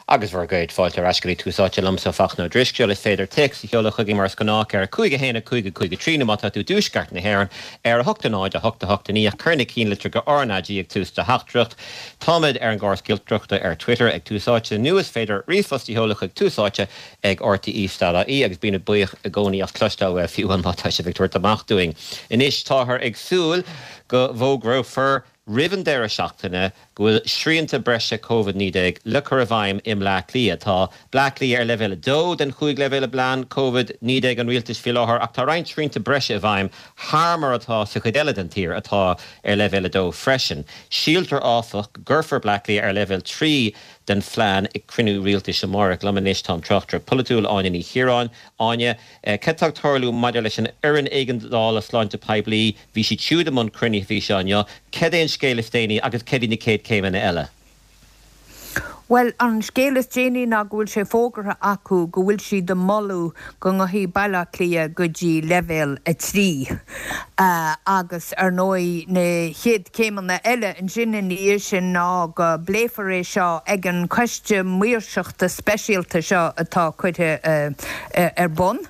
Agus bhur gcéad fáilte ar ais go dtí Tús Áite liomsa, Fachtna Ó Drisceoil. Is féidir téacs a sheoladh chugainn mar is gnách ar 5 1 5 5 3 nó má tá tú i dtuaisceart na hÉireann ar 8 0 8 8 9 ach cuir na cinnlitreacha RnaG ag tús do theachtaireacht. Táimid ar an gcóras giolcaireachta ar Twitter ag Tús Áite nó is féidir ríomhphost a sheoladh chuig túsáite ag rte.ie agus bímid buíoch i gcónaí as cloisteáil uaibh fiú má tá sibh ag tabhairt amach dúinn. Anois táthar ag súil go bhfógrófar roimh an deireadh seachtaine go bhfuil srianta breise Covid-19 le cur i bhfeidhm i mBleá Cliath. Tá Bleá Cliath ar leibhéal 2 den chúig leibhéal i bplean Covid-19 an rialtais faoi láthair ach tá roinnt srianta breise i bhfeidhm thar mar atá sa chuid eile den tír, atá ar leibhéal 2 freisin. Síltear, áfach, go gcuirfear Bleá Cliath ar leibhéal 3 den phlean ag cruinniú rialtais amárach. Liom anois tá an tráchtaire polaitiúil Áine Ní Chiaráin. Áine, cad tá ag tarlú maidir leis an Fhoireann Éigeandála Sláinte Poiblí? Bhí siad siúd i mbun cruinnithe faoi seo inniu. Cad é an scéal is déanaí agus cad iad na chéad chéimeanna eile? Bhuel, an scéal is déanaí ná go bhfuil sé fógartha acu go bhfuil siad ag moladh go ngabhfaidh Baile Átha Cliath go dtí leibhéal 3. Agus ar ndóigh na chéad chéimeanna eile ansin ina dhiaidh sin ná go bpléifear é seo ag an Choiste Maoirseachta Speisialta seo atá curtha ar bun.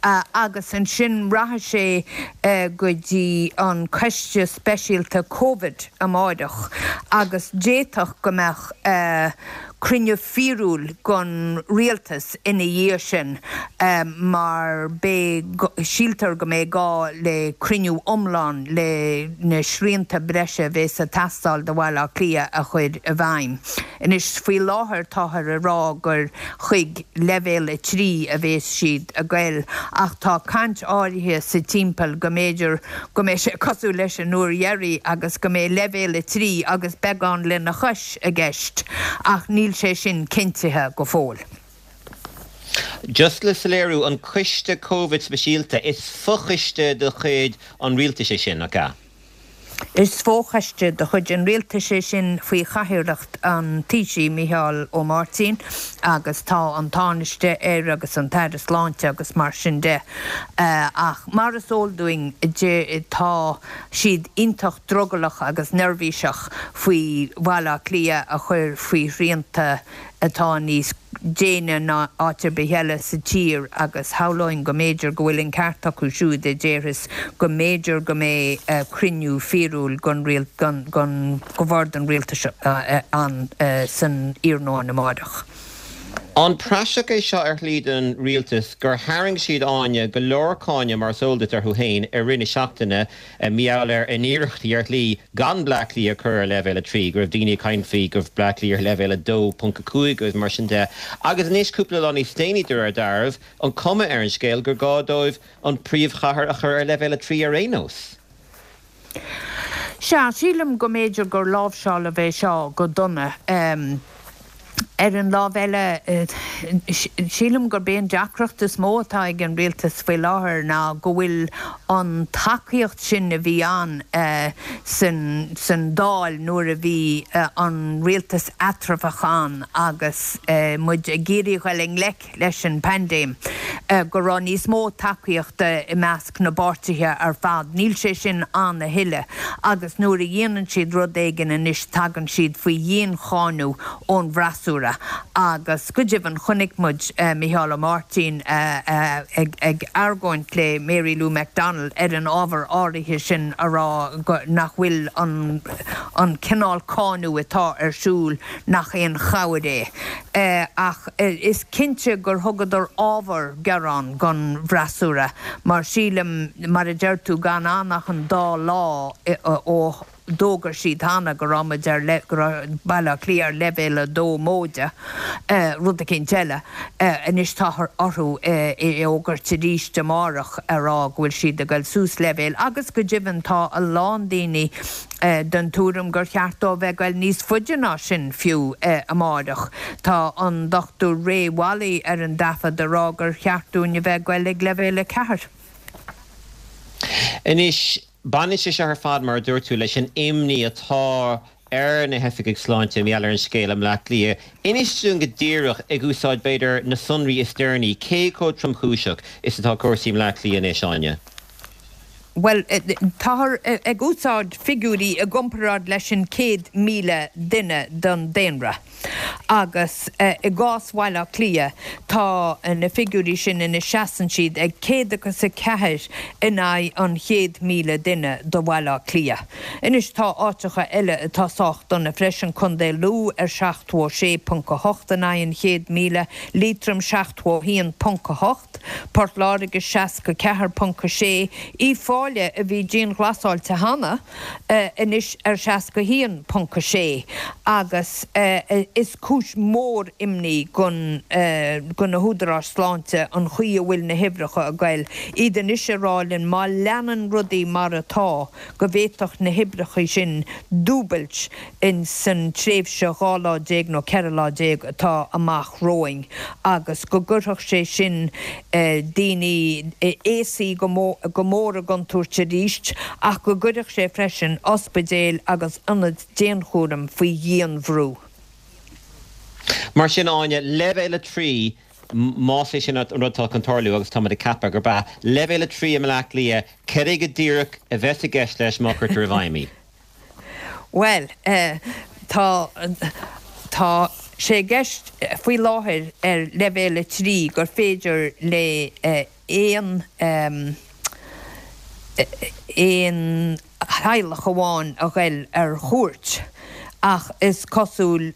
Agus ansin rachaidh sé go dtí an Coiste Speisialta Covid amáireach agus d'fhéadfadh go mbeadh cruinniú fíorúil den Rialtas ina dhiaidh sin mar beidh, síltear go mbeidh gá le cruinniú iomlán le na srianta breise a bhéas ag teastáil do Bhaile Átha Cliath a chur i bhfeidhm. Anois, faoi láthair táthar ag rá gur chuig leibhéal 3 a bhéas siad ag goil ach tá caint áirithe sa timpeall go mb'fhéidir go mbeidh sé cosúil leis an uair dheiridh agus go mbeidh leibhéal 3 agus beagán lena chois i gceist ach níl sé sin cinntithe go fóill. Just le soiléiriú, an Coiste Covid Speisialta, is fochoiste de chuid an rialtais é sin, nach ea? Is fochoiste de chuid an Rialtais é sin faoi chathaoirleacht an Taoisigh, Micheál Ó Máirtín, agus tá an Tánaiste air agus an tAire Sláinte agus mar sin de. Ach mar is eol dúinn, tá siad iontach drogallach agus neirbhíseach faoi Bhaile Átha Cliath a chur faoi shrianta atá níos déine ná áit ar bith eile sa tír agus shamhlóinn go mb'fhéidir go bhfuil an ceart acu siúd a déarfas go mb'fhéidir go mbeidh cruinniú fíorúil den Bhord an Rialtais ann san iarnóin amáireach. An praiseach é seo ar shlí don rialtas gur tharraing siad, Áine, go leor cáineadh mar is eol duit orthu féin i rith na seachtaine mar gheall ar a n-iarrachtaí ar shlí gan Bleá Cliath a chur ar leibhéal 3, go raibh daoine ag caint faoi go raibh Bleá Cliath ar leibhéal 2.5 agus mar sin de. Agus anois, cúpla lá níos déanaí, de réir dealraimh, an cuma ar an scéal gur gá dóibh an príomhchathair a chur ar leibhéal 3 ar aon nós. Sea, sílim go mb'fhéidir gur láimhseáladh é seo go dona. Ar an lámh eile, sílim gurb é an deacracht is mó atá ag an rialtas faoi láthair ná go bhfuil an tacaíocht sin a bhí ann san Dáil nuair a bhí an rialtas eatramhach ann agus muid ag iarraidh dul i ngleic leis an bpaindéim, go raibh níos mó tacaíochta i measc na bpáirtithe ar fad. Níl sé sin ann a thuilleadh agus nuair a dhéanann siad rud éigin anois tagann siad faoi dhiancháineadh ón bhfreasúra agus go deimhin chonaic muid Micheál Ó Máirtín ag argóint le Mary Lou McDonald ar an ábhar áirithe sin a rá nach bhfuil an cineál cáineadh atá ar siúl nach aon chabhair é. Ach is cinnte gur thugadar ábhar gearáin don bhfreasúra, mar sílim, mar a deir tú, gan ann ach an dá lá ó d'fhógair siad cheana go raibh muid ar, go raibh Baile Átha Cliath ar leibhéal 2 móide, rud eicínt eile. Anois táthar orthu é a fhógairt arís amárach a rá go bhfuil siad ag goil suas leibhéal agus go deimhin tá a lán daoine den tuairim gur cheart dó bheith ag goil níos faide ná sin fiú amáireach. Tá an Dr Ray Walley ar an dtaifead ag rá gur cheart dúinn a bheith ag goil ag leibhéal 4. Anois, baineann sé seo ar fad, mar a dúirt tú, leis an imní atá ar na hoifigigh sláinte mar gheall ar an scéal i mBleá Cliath. Inis dúinn go díreach, ag úsáid, b'fhéidir, na sonraí is deireanaí, cé chomh tromchúiseach is atá cúrsaí i mBleá Cliath anois, Áine? Bhuel, táthar ag úsáid figiúirí i gcomparáid leis an 100,000 duine den daonra agus i gcás Bhaile Átha Cliath tá na figiúirí sin ina seasann siad ag céad agus a ceathair in aghaidh an 100,000 duine do Bhaile Átha Cliath. Anois tá áiteacha eile atá sách dona freisin, Contae Lú ar 76.8 in aghaidh an 100,000, Liatroim 71.8, Port Láirge 64.6, Uíbh Fhailí a bhí dianghlasáilte cheana, anois ar 61.6 agus is cúis mhór imní do na húdaráis sláinte an chaoi a bhfuil na huimhreacha ag goil, iad anois ag rá linn má leanann rudaí mar atá go bhféadfadh na huimhreacha sin dúbailt in san tréimhse 12 lá nó 14 lá atá amach romhainn agus go gcuirfeadh sé sin daoine aosaí go mór i gcontúirt arís ach go gcuirfeadh sé freisin ospidéil agus ionaid dianchúraim faoi dhianbhrú. Mar sin, Áine, leibhéal 3, más é sin an rud atá chun tarlú, agus táimid ag ceapadh gurb ea, leibhéal 3 i mBaile Átha Cliath, cad é go díreach a bheas i gceist leis má chuirtear i bhfeidhm í? Bhuel, tá, tá sé i gceist faoi láthair ar leibhéal 3 gur féidir le aon, aon theaghlach amháin a ghoil ar chuairt ach is cosúil,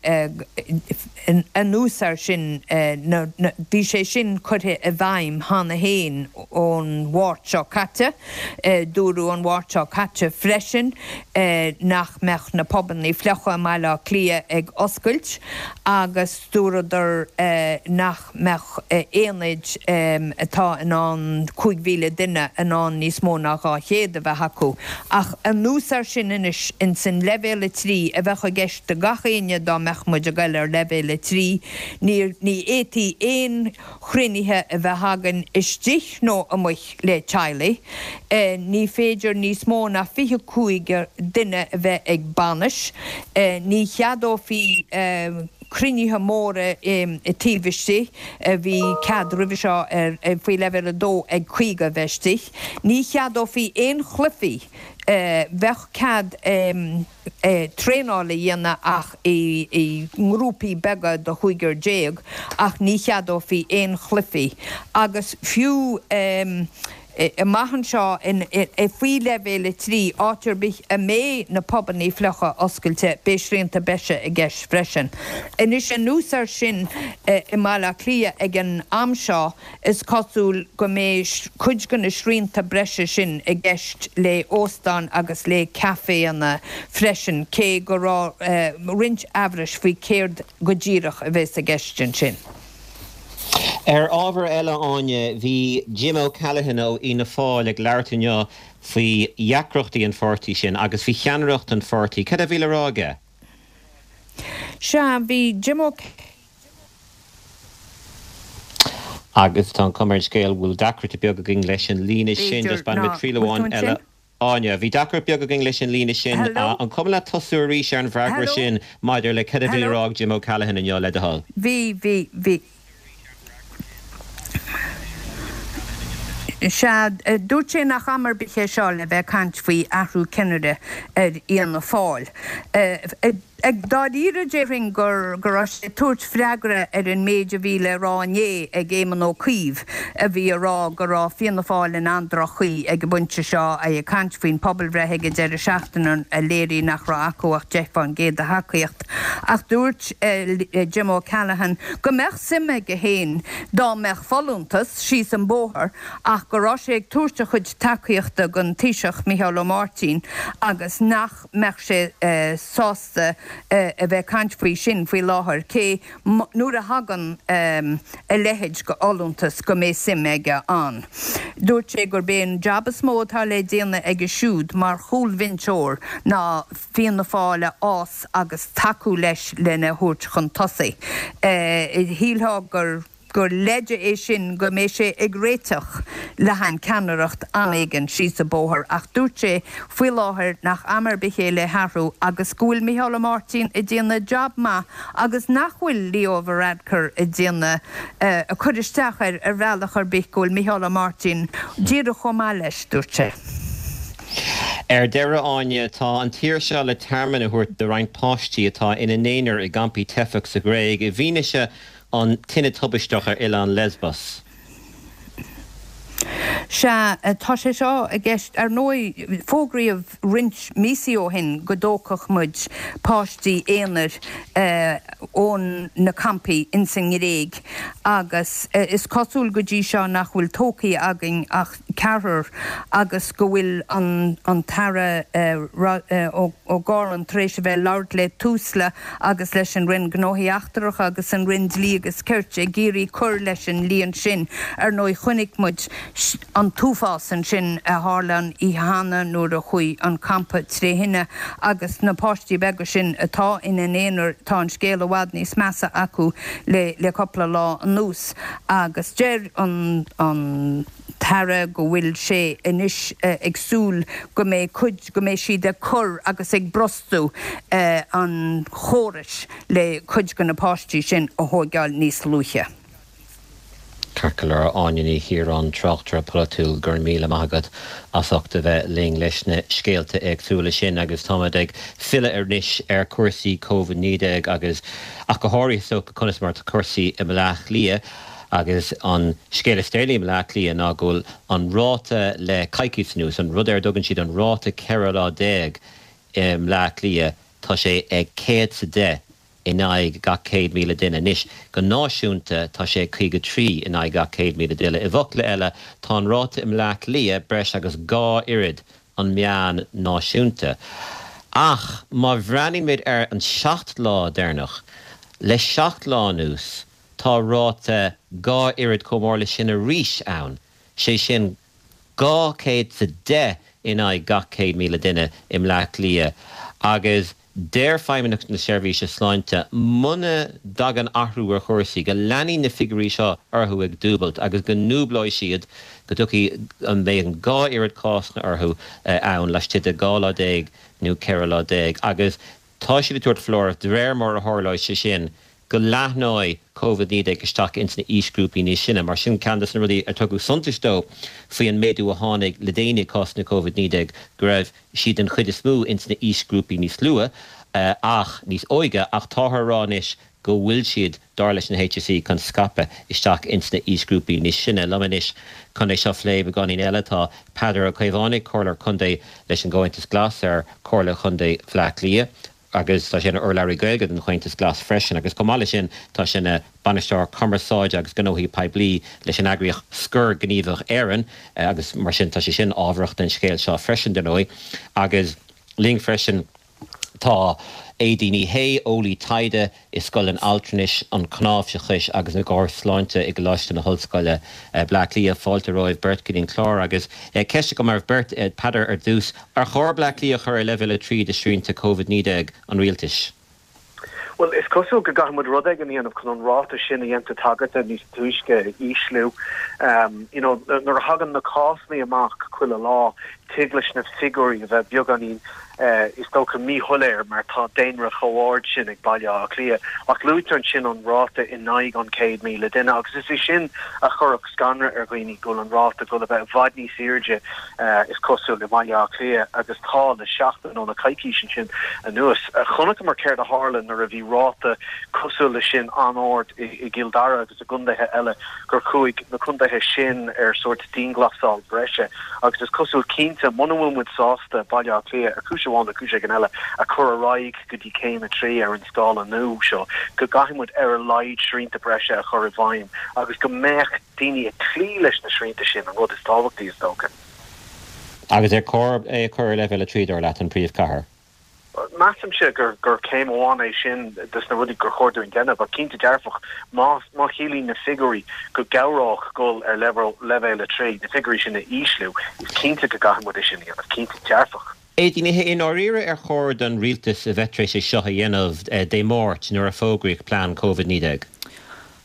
anuas air sin, bhí sé sin curtha i bhfeidhm cheana féin ón Mháirt seo caite. Dúradh an Mháirt seo caite freisin nach mbeadh na pubannaí fliucha i mBaile Átha Cliath ag oscailt agus dúradar nach mbeadh aonaid atá in ann 5,000 duine in ann níos mó ná 200 a bheith acu. Ach anuas air sin anois, ins an leibhéal 3 a bheadh i gceist do gach éinne dá mbeadh muid ag goil ar leibhéal 3, ní ní fhéadfaí aon chruinnithe a bheith againn istigh nó amuigh le teaghlaigh. Ní féidir níos mó ná 25 duine a bheith ag bainis. Ní cheadófaí cruinnithe móra taobh istigh, bhí cead roimhe seo faoi leibhéal 2 ag 50 a bheith istigh. Ní cheadófaí aon chluichí, bheadh cead traenáil a dhéanamh ach i ngrúpaí beaga de chúigear déag ach ní cheadófaí aon chluichí agus fiú amach anseo faoi leibhéal 3, áit ar bith a mbeidh na pubannaí fliucha oscailte, beidh srianta breise i gceist freisin. Anois anuas air sin i mBaile Átha Cliath ag an am seo, Is cosúil go mbeidh cuid de na srianta breise sin i gceist le óstáin agus le caiféanna freisin, cé go raibh roinnt amhrais faoi céard go díreach a bheas i gceist ansin. Ar ábhar eile, Áine, bhí Jim O'Callaghan ó Fhianna Fáil ag labhairt inniu faoi dheacrachtaí an pháirtí sin agus faoi cheannaireacht an pháirtí. Cad a bhí le rá aige? Sea, bhí Jim Ó. Agus tá an chuma ar an scéal go bhfuil deacracht beag againn leis an líne sin. B'fhéidir Just bainfidh ná muid triail bhfuil tú amháin ansin? eile. Áine, bhí deacracht beag againn leis an líne sin. Hello? An cuma leat tosú arís ar an bhfreagra Hello? sin maidir le cad a bhí le Hello? rá ag Jim O'Callaghan inniu, le do thoil? Bhí, bhí, bhí. Sea, dúirt sé nach am ar bith é seo le bheith ag caint faoi athrú ceannaire ar Fhianna Fáil. Ag dáiríre déarfainn go raibh sé ag tabhairt freagra ar an méid a bhí le rá inné ag Éamon Ó Cuív a bhí ag rá go raibh Fianna Fáil in an-droch-chaoi ag an bpointe seo, é ag caint faoin pobalbhreith ag an deireadh seachtaine a léirigh nach raibh acu ach 10% de thacaíocht. Ach dúirt Jim O'Callaghan go mbeadh suim aige féin dá mbeadh folúntas síos an bóthar ach go raibh sé ag tabhairt a chuid tacaíochta don Taoiseach Micheál Ó Máirtín agus nach mbeadh sé sásta a bheith ag caint faoi sin faoi láthair, cé nuair a thagann a leithéid de fholúntas go mbeidh suim aige ann. Dúirt sé gurb é an jab is mó atá le déanamh aige siúd mar chúlbhinseoir ná Fianna Fáil a fhás agus tacú leis lena thabhairt chun tosaigh. Shílfeá gur. gur leide é sin go mbeidh sé ag réiteach le haghaidh ceannaireacht am éigin síos an bóthar ach dúirt sé faoi láthair nach am ar bith é le hathrú agus go bhfuil Micheál Ó Máirtín ag déanamh jab maith agus nach bhfuil Leo Varadkar ag déanamh ag cur isteach air ar bhealach ar bith go bhfuil Micheál Ó Máirtín díreach chomh maith leis, dúirt sé. Ar deireadh, Áine, tá an tír seo le tearmann a thabhairt do roinnt páistí atá ina n-aonar i gcampaí teifeach sa Ghréig i bhfianaise an tine tubaisteach ar oileán Lesbos. Sea, tá sé seo i gceist. Ar ndóigh, fógraíodh roinnt míosaí ó shin go dtógfadh muid páistí aonair ón na campaí ins an nGréig agus is cosúil go dtí seo nach bhfuil tógthaí againn ach ceathrar agus go bhfuil an an tAire O'Gorman tar éis a bheith ag labhairt le Tusla agus leis an Roinn Gnóthaí Eachtracha agus an Roinn Dlí agus Cirt ag iarraidh cur leis an líon sin. Ar ndóigh chonaic muid an t-uafás ansin a tharla an oíche cheana nuair a chuaigh an campa tré thine agus na páistí beaga sin atá ina n-aonar, tá an scéal i bhfad níos measa acu le le cúpla lá anuas agus deir an an tAire go bhfuil sé anois ag súil go mbeidh cuid, go mbeidh siad ag cur agus ag brostú an chórais le cuid de na páistí sin a thóigeáil níos luaithe. Ceart go leor, Áine Ní Chiaráin, tráchtaire polaitiúil, go raibh míle maith agat as ucht a bheith linn leis na scéalta éagsúla sin agus táimid ag filleadh anois ar chúrsaí Covid-19 agus ach go háirithe is dócha conas mar atá cúrsaí i mBleá Cliath. Agus an scéal is deireanaí i mBleá Cliath ná go bhfuil an ráta le coicís anuas, an rud ar a dtugann siad an ráta 14 lá i mBleá Cliath, tá sé ag 110 in aghaidh gach 100,000 duine. Anois, go náisiúnta, tá sé ag 53 in aghaidh gach 100,000 duine. I bhfocla eile, tá an ráta i mBleá Cliath breis agus dhá oiread an meán náisiúnta. Ach má bhreathnaímid ar an seacht lá deireanach, le seacht lá anuas, Tá ráta dhá oiread chomh mór leis sin arís ann, sé sin 210 in aghaidh gach 100,000 duine i mBleá Cliath agus deir Feidhmeannacht na Seirbhíse Sláinte muna dtagann athrú ar chúrsaí go leanfaidh na figiúirí seo orthu ag dúbailt agus go ndúblóidh siad, go dtiocfaidh, go mbeidh an dhá oiread cásanna orthu ann laistigh de 12 lá nó 14 lá agus tá siad ag tabhairt foláireamh de réir mar a tharlóidh sé sin go leathnóidh Covid-19 isteach ins na aoisghrúpaí níos sine. Mar sin, ceann des na rudaí ar tugadh suntais dó faoi an méadú a tháinig le déanaí i cásanna Covid-19 go raibh siad den chuid is mó ins na aoisghrúpaí níos luath ach níos óige ach táthar a rá anois go bhfuil siad, dar leis an HSE, chun scaipeadh isteach ins na aoisghrúpaí níos sine. Liom anois chun é seo a phlé beagáinín eile tá Peadar Ó Caomhánaigh, Comhairleoir Contae leis an gComhaontas Glas ar Chomhairle Chontae Bhaile Átha Cliath. agus tá sé ina urlabhraí Gaeilge don Chomhaontas Glas freisin agus chomh maith leis sin tá sé ina Bainisteoir Cumarsáide agus Gnóthaí Poiblí leis an eagraíocht Scor Gníomhach Éireann agus mar sin tá sé sin ábharach don scéal seo freisin dar ndóigh. Agus linn freisin tá Aedín Ní Shé, eolaí taighde i Scoil an Altranais, an Chnáimhseachais agus na gCóras Sláinte i gColáiste na hOllscoile, Bleá Cliath. Fáilte romhaibh beirt go dtí an clár agus ceist agam oraibh beirt, Peadar ar dtús, ar chóir Bleá Cliath a chur ar leibhéal 3 de shrianta Covid-19 an rialtais? Bhuel, is cosúil go gcaithfidh muid rud éigin a dhéanamh chun an ráta sin a dhein tú tagairt do níos túisce a ísliú. You know, nuair a thagann na cásanna amach chuile lá, tig leis na figiúirí a bheith beagáinín, is dócha, míshoiléir mar tá daonra chomh ard sin ag Baile Átha Cliath. Ach luaitear ansin an ráta in aghaidh an 100,000 duine agus is é sin a chuirfeadh scanradh ar dhaoine, go bhfuil an ráta ag dul a bheith i bhfad níos airde, is cosúil, i mBaile Átha Cliath agus tá le seachtain nó le coicís ansin anuas. Chonaiceamar céard a tharla nuair a bhí ráta cosúil leis sin an-ard i gCill Dara agus i gcontaetha eile, gur chuaigh na contaetha sin ar sórt dianghlasáil breise agus is cosúil cinnte, muna bhfuil muid sásta Baile Átha Cliath, ar chúis amháin nó cúis éigin eile, a chur ar aghaidh go dtí céim 3 ar an scála nua seo, go gcaithfidh muid ar a laghad srianta breise a chur i bhfeidhm agus go mbeadh daoine ag cloí leis na srianta sin, an rud is tábhachtaí is dócha. Agus ar chóir é a chur ar leibhéal 3, dar leat, an príomhchathair? Measaimse gur céim amháin é sin de na rudaí gur chóir dúinn déanamh, ach cinnte dearfach, má chiallaíonn na figiúirí go gcabhródh dul ar leibhéal 3, na figiúirí sin a ísliú, is cinnte go gcaithfidh muid é sin a dhéanamh, cinnte dearfach. Aedín, i ndáiríre ar chóir don rialtas a bheith tar éis é seo a dhéanamh Dé Máirt nuair a fógraíodh plean Covid-19?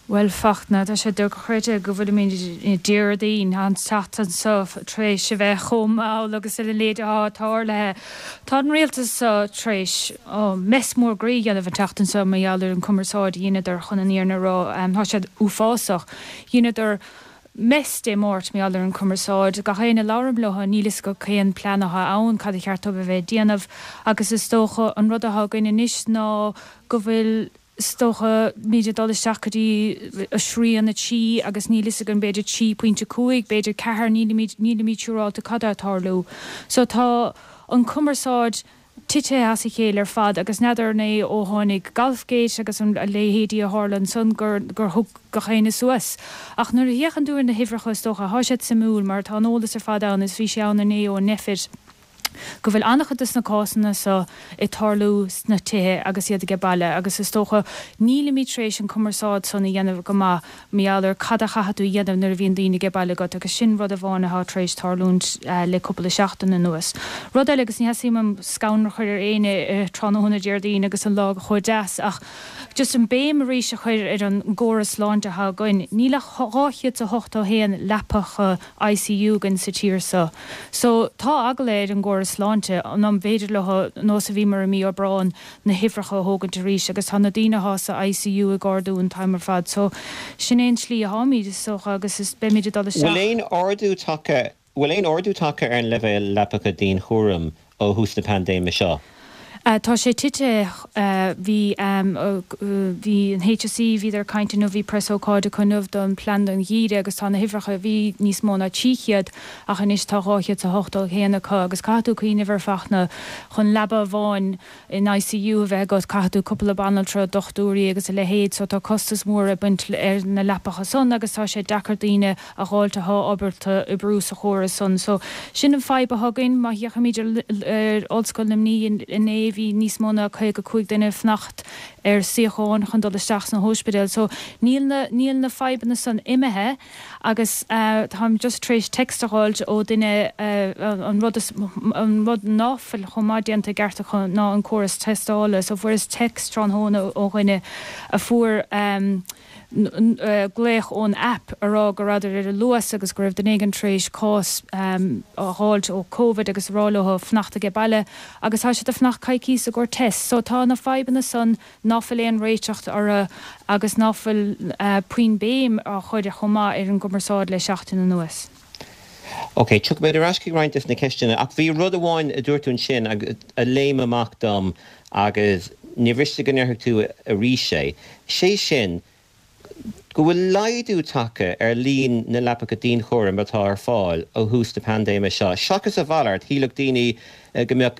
Bhuel, Fachtna, tá sé dochreidte go bhfuilimid Déardaoin, an tseachtain seo, tar éis a bheith chomh mall agus a leithéid atá tarlaithe. Tá an rialtas seo tar éis mess mór groí a dhéanamh an tseachtain seo mar gheall ar an chumarsáid a dheineadar chun an fhírinne a rá. Tá sé uafásach. Dheineadar. mess Dé Máirt mar gheall ar an chumarsáid. Gach éinne a labhraím leo níl fhios acu cén plean atá ann, cad a cheart dóibh a bheith ag déanamh agus is dócha an rud atá againn anois ná go bhfuil is dócha, muid ag dul isteach go dtí srian 3 agus níl fhios againn b'fhéidir 3.5, b'fhéidir 4, nílimid, nílimid siúrálta cad atá ag tarlú. So tá an cumarsáid titithe as a chéile ar fad agus n'fheadar an é ó tháinig Golfgate agus an, a leithéidí a tharla ansan gur, gur thug gach éinne suas. Ach nuair a fhéachann tú ar na huimhreacha is dócha, thá siad suimiúil mar tá an eolas ar fad ann is bhí sé ann inné ó Nphet. go bhfuil an-chuid de na cásanna so ag tarlú sna tithe agus iad age baile agus is dócha nílimid tar éis an cumarsáid san a dhéanamh go maith mar gheall ar cad a chaithfidh tú a dhéanamh nuair a bhíonn daoine age baile agat agus sin rud amháin atá tar éis tarlúint le cúpla seachtain anuas. Rud eile agus ní theastaíonn uaim scanradh a chur ar éinne tráthnóna Déardaoin agus an lá chomh deas ach just an béim arís a chur ar an gcóras sláinte atá againn, níl ach 281 leapacha ICU againn sa tír so. So, tá eagla ar an gcóras sláinte, an mb'fhéidir leo, nós a bhíomar i mí Aibreáin, na huimhreacha a thógaint arís agus tá na daoine athá sa ICU ag ardú an t-am ar fad. So, sin é an tslí atháimid, is dócha, agus is beimid ag dul isteach. Bhfuil aon ardú tagtha Bhfuil aon ardú tagtha ar an leibhéal leapacha dianchúraim ó thús na paindéime seo? Tá sé tite. Bhí, bhí an HSE, bhíodar ag caint inniu, bhí preasócáid acu inniu don plean don gheimhreadh agus tá na huimhreacha, bhí níos mó ná 300 ach anois tá 281 acu agus caithfidh tú cuimhneamh ar Fachtna, chun leaba amháin in ICU a bheith agat caithfidh tú cúpla banaltra, dochtúirí agus a leithéid so tá costas mór ag baint ar na leapacha san agus tá sé deacair daoine a dh'fháilt athá ábalta oibriú sa chóras san. So, sin an fadhb athá againn. Má fhéachaimid ar Ollscoil Luimnigh inné bhí níos mó ná 55 duine ag fanacht ar suíocháin chun dul isteach sna hóispidéil. So, níl na, níl na fadhbanna san imithe agus táim just tar éis text a dh'fháilt ó duine an rud is, an rud ná fuil chomh maith déanta i gceart acu ná an córas tástála. So, fuaireas text tráthnóna ó dhuine a fuair glaoch ón aip a rá go rabhadar ar an Luas agus go raibh duine éigin tar éis cás a dh'fháilt ó Covid agus a rá leo fanacht age baile agus tá siad ag fanacht coicíos i gcomhair test. So tá na fadhbanna san ná fuil aon réiteacht orthu agus ná fuil puinn béim á chur chomh maith ar an gcumarsáid le seachtain anuas. Ok, tiocfaimid ar ais chuig roinnt des na ceisteanna ach bhí rud amháin a dúirt tú ansin a léim amach dom agus ní mhiste go ndéarfadh tú arís é, sé sin go bhfuil laghdú tagtha ar líon na leapacha dianchúraim atá ar fáil ó thús na paindéime seo. Seachas a mhalairt, shílfeadh daoine go mbeadh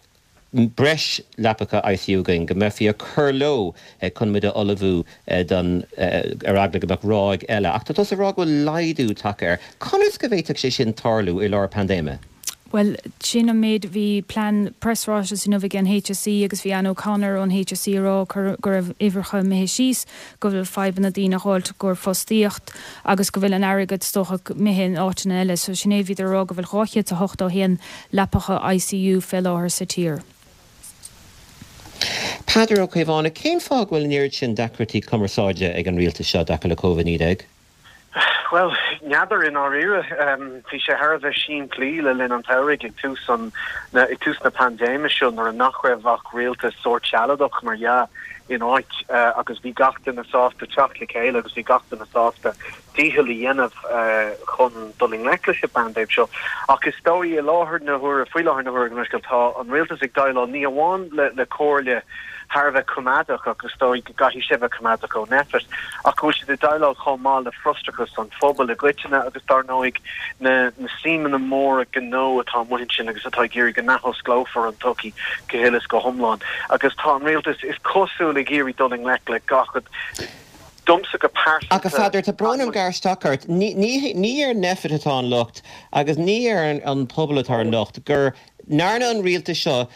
breis leapacha ICU againn, go mbeifí ag cur leo chun muid a ullmhú don, ar eagla go mbeadh ráig eile. Ach tá tusa ag rá go bhfuil laghdú tagtha air. Conas go bhféadfadh sé sin tarlú i lár paindéime? Bhuel, sin an méid, bhí plean preasráiteas inniu ag an HSE agus bhí Anne O'Connor ón HSE ag rá go raibh uimhreacha imithe síos, go bhfuil fadhbanna daoine a dh'fháilt i gcomhair fostaíocht agus go bhfuil an airgead is dócha imithe in áiteanna eile. So sin é, bhíodar ag rá go bhfuil 281 leapacha ICU fé láthair sa tír. Peadar Ó Caomhánaigh, Cén fáth go bhfuil an oiread sin deacrachtaí cumarsáide ag an rialtas seo i dtaca le Covid-19? Bhuel, n'fheadar i ndáiríre. Bhí sé thar a bheith simplí le linn an tsamhraidh ag tús an, ag tús na paindéime seo nuair a nach raibh ach rialtas sórt sealadach, mar dhea, in áit agus bhí gach duine sásta teacht le chéile agus bhí gach duine sásta dícheall a dhéanamh chun dul i ngleic leis an bpaindéim seo. Ach is dóigh i láthair na huaire, faoi láthair na huaire, gabh mo leithscéal, tá an rialtas ag déileáil ní amháin le comhairle thar a bheith coimeádach, agus is dóigh go gcaithfidh sé bheith coimeádach ó Nphet, ach go bhfuil siad ag déileáil chomh maith le frustrachas an phobail i gcoitinne agus dar ndóigh na suímeanna móra gnó atá amuigh ansin agus atá ag iarraidh go n-athosclófar an tsochaí go huile is go hiomlán. Agus tá an rialtas, is cosúil, ag iarraidh dul i ngleic le gach Domsa go pearsanta. Ach a Pheadair, tá brón orm gearradh isteach ort. Ní ar Nphet atá an locht agus ní ar an pobal atá an locht go ndearna an rialtas seo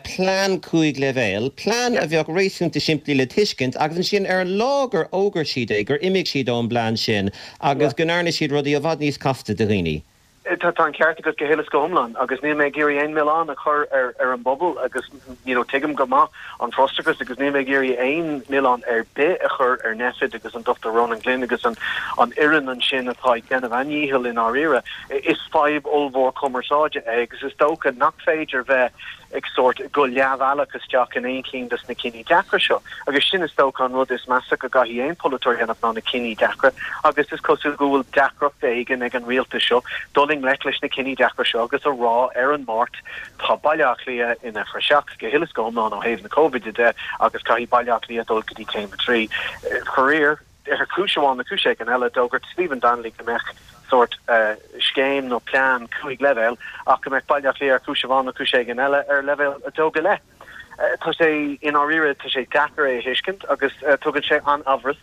plean 5 leibhéal, plean a bheadh réasúnta simplí le tuiscint agus ansin ar an lá gur fhógair siad é gur imigh siad ón bplean sin agus go ndearna siad rudaí i bhfad níos casta do dhaoine. Tá an ceart agat go huile is go hiomlán agus níl mé ag iarraidh aon mhilleán a chur ar ar an bpobal agus you know tuigim go maith an frustrachas agus níl mé ag iarraidh aon mhilleán ar bith a chur ar Nphet agus an Dr Ronan Glynn agus an an fhoireann ansin atá ag déanamh a ndícheall i ndáiríre. Is fadhb ollmhór cumarsáide é agus is dócha nach féidir bheith. Ag sórt go leathbhealach isteach in aon chinn dos na cinní deacra seo. Agus sin is dócha an rud is measa go gcaithfidh aon pholaiteoir a dhéanamh ná na cinní deacra agus is cosúil go bhfuil deacracht éigin ag an rialtas seo dul i ngleic leis na cinní deacra seo agus a rá ar an Máirt tá Baile Átha Cliath ina phraiseach go huile is go hiomlán ó thaobh na Cóivide de agus caithfidh Baile Átha Cliath dul go dtí céim 3. Faraor. Ar chúis amháin nó cúis éigin eile, d'fhógair Stephen Donnelly go mbeadh sórt scéim nó plean 5 leibhéal ach go mbeadh Baile Átha Cliath ar chúis amháin nó cúis éigin eile ar leibhéal 2 go leith. Tá sé, i ndáiríre, tá sé deacair é a thuiscint agus tugann sé an-amhras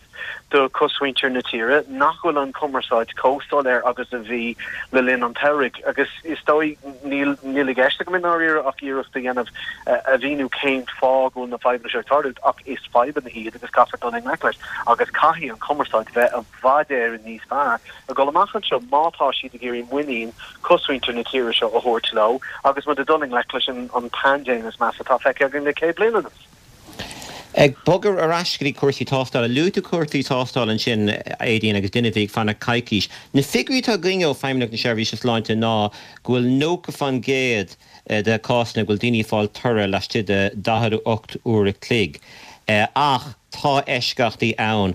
do chosmhuintir na tíre nach bhfuil an chumarsáid chomh soiléir agus a bhí le linn an tsamhraidh agus is dóigh níl níl i gceist agam i ndáiríre ach iarracht a dhéanamh a mhíniú cén fáth go bhfuil na fadhbanna seo ag tarlú ach is fadhbanna iad agus caithfear dul i ngleic leis agus caithfidh an chumarsáid bheith i bhfad Éireann níos fearr ag dul amach anseo má tá siad ag iarraidh muinín cosmhuintir na tíre seo a thabhairt leo agus muid ag dul i ngleic leis an paindéim is measa atá feicthe againn le 100 bliain anuas. Ag bogadh ar ais go dtí cúrsaí tástála, luaigh tú cúrsaí tástála ansin, Aedín, agus duine a bhí ag fanacht coicís. Na figiúirí atá againn ó Feidhmeannacht na Seirbhíse Sláinte ná go bhfuil 90% de cásanna go bhfuil daoine ag fáil toradh laistigh de 48 uair a chloig. Ach tá eisceachtaí ann.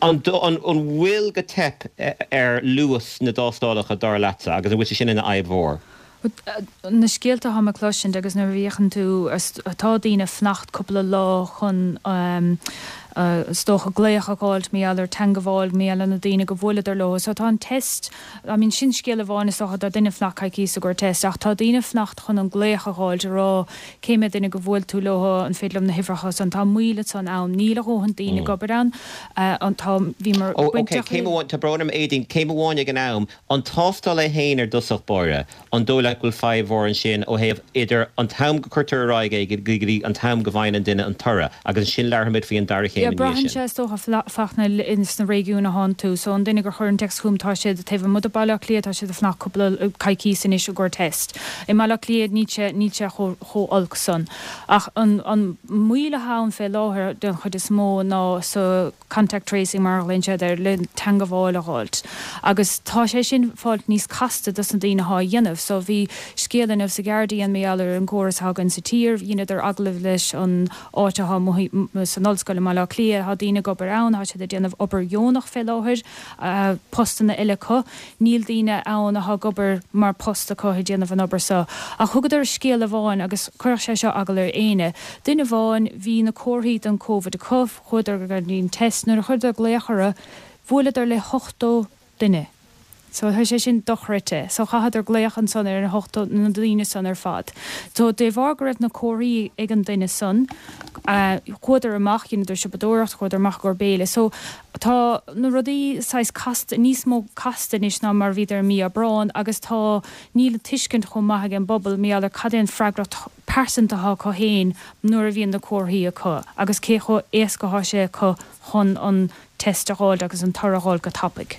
An bhfuil go teip ar luas na dtástálacha dar leatsa agus an bhfuil sé sin ina fhadhb mhór? Na scéalta atáim ag cloisint agus nuair a fhéachann tú, tá daoine ag fanacht cúpla lá chun is dócha glaoch a dh'fháilt mar gheall ar teangabháil, mar gheall ar na daoine go bhuaileadar leo. So tá an test, I mean sin scéal amháin is dócha, tá duine ag fanacht coicíos i gcomhair test ach tá daoine ag fanacht chun an glaoch a dh'fháilt a rá cé mhéad duine go bhuail tú leo, an féidir liom na huimhreacha san, tá moill ansan ann, níl a dhóthain daoine ag obair ann, tá, bhíomar Oh ok, céim amháin, tá brón orm Aedín, céim amháin ag an am, An tástáil é féin ar dtosach báire, an dóigh leat go bhfuil fadhb mhór ansin ó thaobh idir an t-am go cuirtear ar aghaidh é go dtí an t-am go bhfaigheann an duine an toradh agus ansin labharfaimid faoi an dara chéim Yeah, ina dhiaidh braitheann sin. sé is dócha Fachtna sna réigiúin a thánn tú. So an duine gur chuir an téacs chugam tá siad taobh amuigh de Baile Átha Cliath tá siad ag fanacht cúpla coicíos anois i gcomhair test. I mBaile Átha Cliath níl sé níl sé chomh chomh olc san. Ach an an moill atá ann fé láthair den chuid is mó ná sa contact tracing mar a ghlaonn siad air, le teangabháil a dh'fháilt. Agus tá sé sin fáilt níos casta dos na daoine athá á dhéanamh. So bhí scéal inniu sa Guardian mar gheall ar an gcóras athá againn sa tír. Dheineadar agallamh leis an áit athá amuigh san ollscoil i mBaile Átha Cliath. Thá daoine ag obair ann, thá siad ag déanamh obair dheonach fé láthair, postanna eile acu. Níl daoine ann athá ag obair mar post acu ag déanamh an obair so. Ach thugadar scéal amháin agus chuirfeadh sé seo eagal ar éinne. Duine amháin, bhí na comharthaí don Covid acu, Chuadar go dtí an test. Nuair a chuireadar glaoch orthu, bhuaileadar le 80 duine. So tá sé sin dochreidte. So chaitheadar glaoch ansan ar na 80, na daoine san ar fad. So de bharr go raibh na comharthaí ag an duine san, chuadar amach, dheineadar siopadóireacht, chuadar amach i gcomhair béile. So tá na rudaí saghas casta, níos mó casta anois ná mar a bhíodar i mí Aibreáin agus tá, níl an tuiscint chomh maith ag an bpobal mar gheall ar cad é an freagracht pearsanta atá acu féin nuair a bhíonn na comharthaí acu agus cé chomh éasca atá sé acu chun an test a dh'fháilt agus an toradh a dh'fháilt go tapaidh.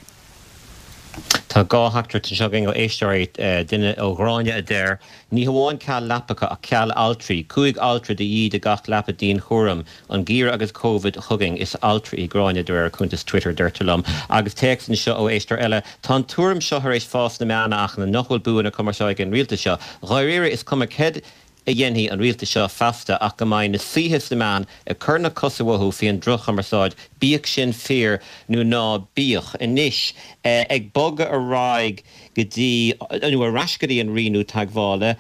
Tá dhá theachtaireacht anseo againn ó éisteoirí, duine ó Ghráinne a deir, Ní hamháin ceal leapacha ach ceal altraí. 5 altra de dhíth do gach leapa dianchúraim. An geimhreadh agus Covid chugainn. Is altra í Gráinne de réir a cuntas Twitter, deirtear liom. Agus téacs anseo ó éisteoir eile, Tá an tuairim seo tar éis fás sna meáin a Fhachtna nach bhfuil bua na cumarsáide ag an rialtas seo. Dháiríre is cuma céard a dhéanfaidh an rialtas seo feasta ach go mbeidh na saoithe sna meáin ag cur na cosa uathu faoin droch-chumarsáid, bíodh sin fíor nó ná bíodh. Anois, ag bogadh ar aghaidh go dtí, nó ar ais go dtí an rianú teagmhála.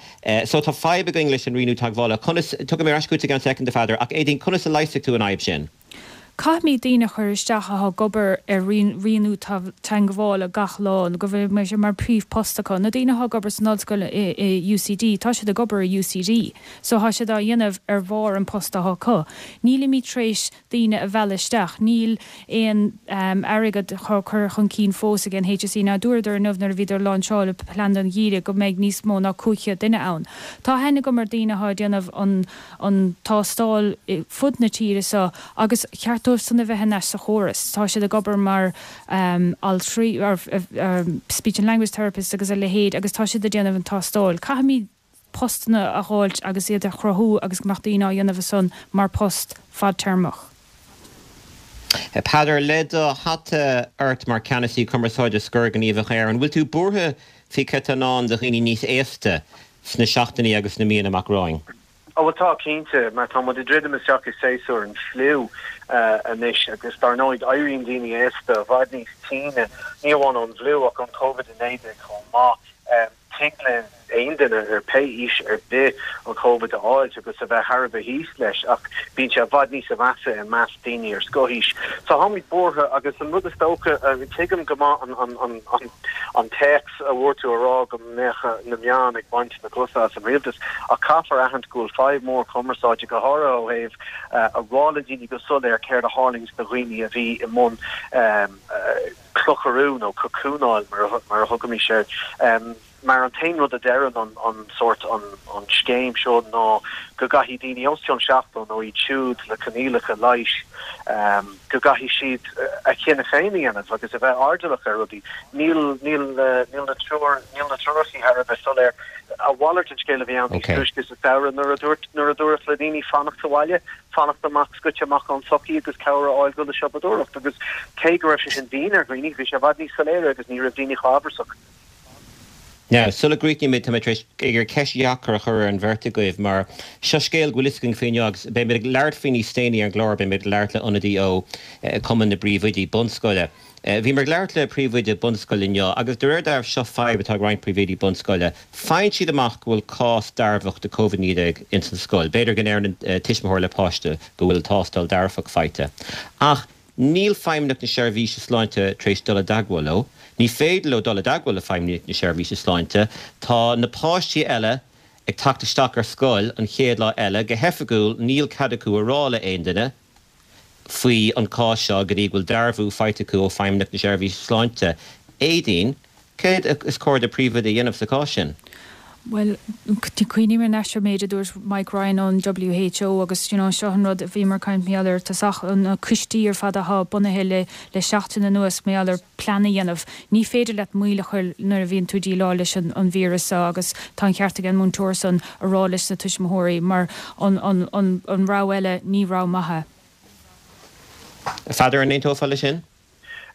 So tá fadhb againn leis an rianú teagmhála. Conas, tiocfaidh mé ar ais chugat i gceann soicind, a Pheadair, ach Aedín, conas a leigheasfaidh tú an fhadhb sin? Caithfimid daoine a chur isteach atá ag obair ar rianú teagmhála gach lá, nó go mbeidh sé mar príomhpost acu. Na daoine atá ag obair san ollscoil i UCD, tá siad ag obair i UCD, so tá siad á dhéanamh ar bharr an post atá acu. Nílimid tar éis daoine a mhealladh isteach. Níl aon airgead á chur chun cinn fós ag an HSE, ná dúradar inniu nuair a bhíodar ag láinseáil plean don gheimhreadh go mbeidh níos mó ná 500 duine ann. Tá aithne agam ar daoine atá ag déanamh an an tástáil fud na tíre seo agus cheart dóibh san a bheith thar n-ais sa chóras. Tá siad ag obair mar altraí, speech and language therapists agus a leithéid agus tá siad ag déanamh an tástáil. Caithfimid postanna a dh'fháilt agus iad a chruthú agus go mbeadh daoine á dhéanamh ansan mar post fadtéarmach. Peadar, le do hata ort mar Ceannasaí Cumarsáide Scor Gníomhach Éireann, bhfuil tú buartha faoi céard atá i ndán do dhaoine níos aosta? sna seachtainí agus sna míonna amach romhainn? Ó bhuel tá, cinnte, mar tá muid ag druidim isteach i séasúr an fliú anois agus dar ndóigh éiríonn daoine aosta i bhfad níos tine, ní amháin ón bhfliú ach ón Covid-19 chomh maith. Tig le aon duine ar pé aois ar bith an Covid a fháilt agus a bheith thar a bheith thíos leis ach bíonn sé i bhfad níosa mheasa i measc daoine ar scothaois. So táimid buartha agus an rud is dócha, tuigim go maith an téacs a bhfuair tú a rá go mbeadh na meáin ag baint na cosa as an rialtas ach caithfear aithint go bhfuil fadhb mhór cumarsáide, go háirithe ó thaobh a rá le daoine go soiléir céard a tharlaíonns do dhaoine a bhí i mbun clocharú nó cocúnáil mar a thugaimis air. Mar an t-aon rud a deireann an sórt an scéim seo ná go gcaithfidh daoine os cionn 70 nó iad siúd le coinníollacha leighis go gcaithfidh siad a chinneadh féin a dhéanamh agus a bheith airdeallach ar rudaí. Níl níl níl na treoir níl na treoracha thar a bheith soiléir. A mhalairt den scéal a bhí ann níos túisce sa samhradh nuair a dúirt nuair a dúradh le daoine fanacht sa bhaile, fanacht amach scoite amach ón tsochaí agus cabhair a fháil dul ag siopadóireacht agus cé go raibh sé sin dian ar dhaoine bhí sé i bhfad níos soiléire agus ní raibh daoine chomh amhrasach. Now, sula gcríochnaímid, tá mé tar éis ag iarraidh ceist dheacair a chur ar an bheirt agaibh mar seo scéal go bhfuil fhios againn faoi inniu agus beidh muid ag labhairt faoi níos déanaí ar an gclár, beidh muid ag labhairt le ionadaí ó Chumann na bPríomhoidí Bunscoile. Bhíomar ag labhairt le príomhoide bunscoile inniu agus de réir dealraimh seo fadhb atá ag roinnt príomhoidí bunscoile, faigheann siad amach go bhfuil cás dearfach de Covid-19 ins an scoil, b'fhéidir go ndeireann an tuismitheoir le páiste go bhfuil tástáil dearfach faighte ach Níl Feidhmeannacht na Seirbhíse Sláinte tar éis dul i dteagmháil leo. Ní féidir leo dul i dteagmháil le Feidhmeannacht na Seirbhíse Sláinte. Tá na páistí eile ag teacht isteach ar scoil an chéad lá eile. Go hoifigiúil, níl cead acu a rá le aon duine faoi an cás seo go dtí go bhfuil dearbhú faighte acu ó Feidhmeannacht na Seirbhíse Sláinte. Aedín, Céard is cóir do phríomhoide a dhéanamh sa chás sin? Bhuel, cuimhním ar ais ar an méid a dúirt Mike Ryan ón WHO agus you know seo an rud a bhíomar ag caint mar gheall air i dtosach, na coistí ar fad atá bunaithe le le seachtain anuas mar gheall ar plean a dhéanamh. Ní féidir leat moill a chur nuair a bhíonn tú ag déileáil leis an an víreas seo agus tá an ceart ag an múinteoir san a rá leis na tuismitheoirí mar an an an an rogha eile ní rogha maith é. A Pheadair, an aontófá leis sin?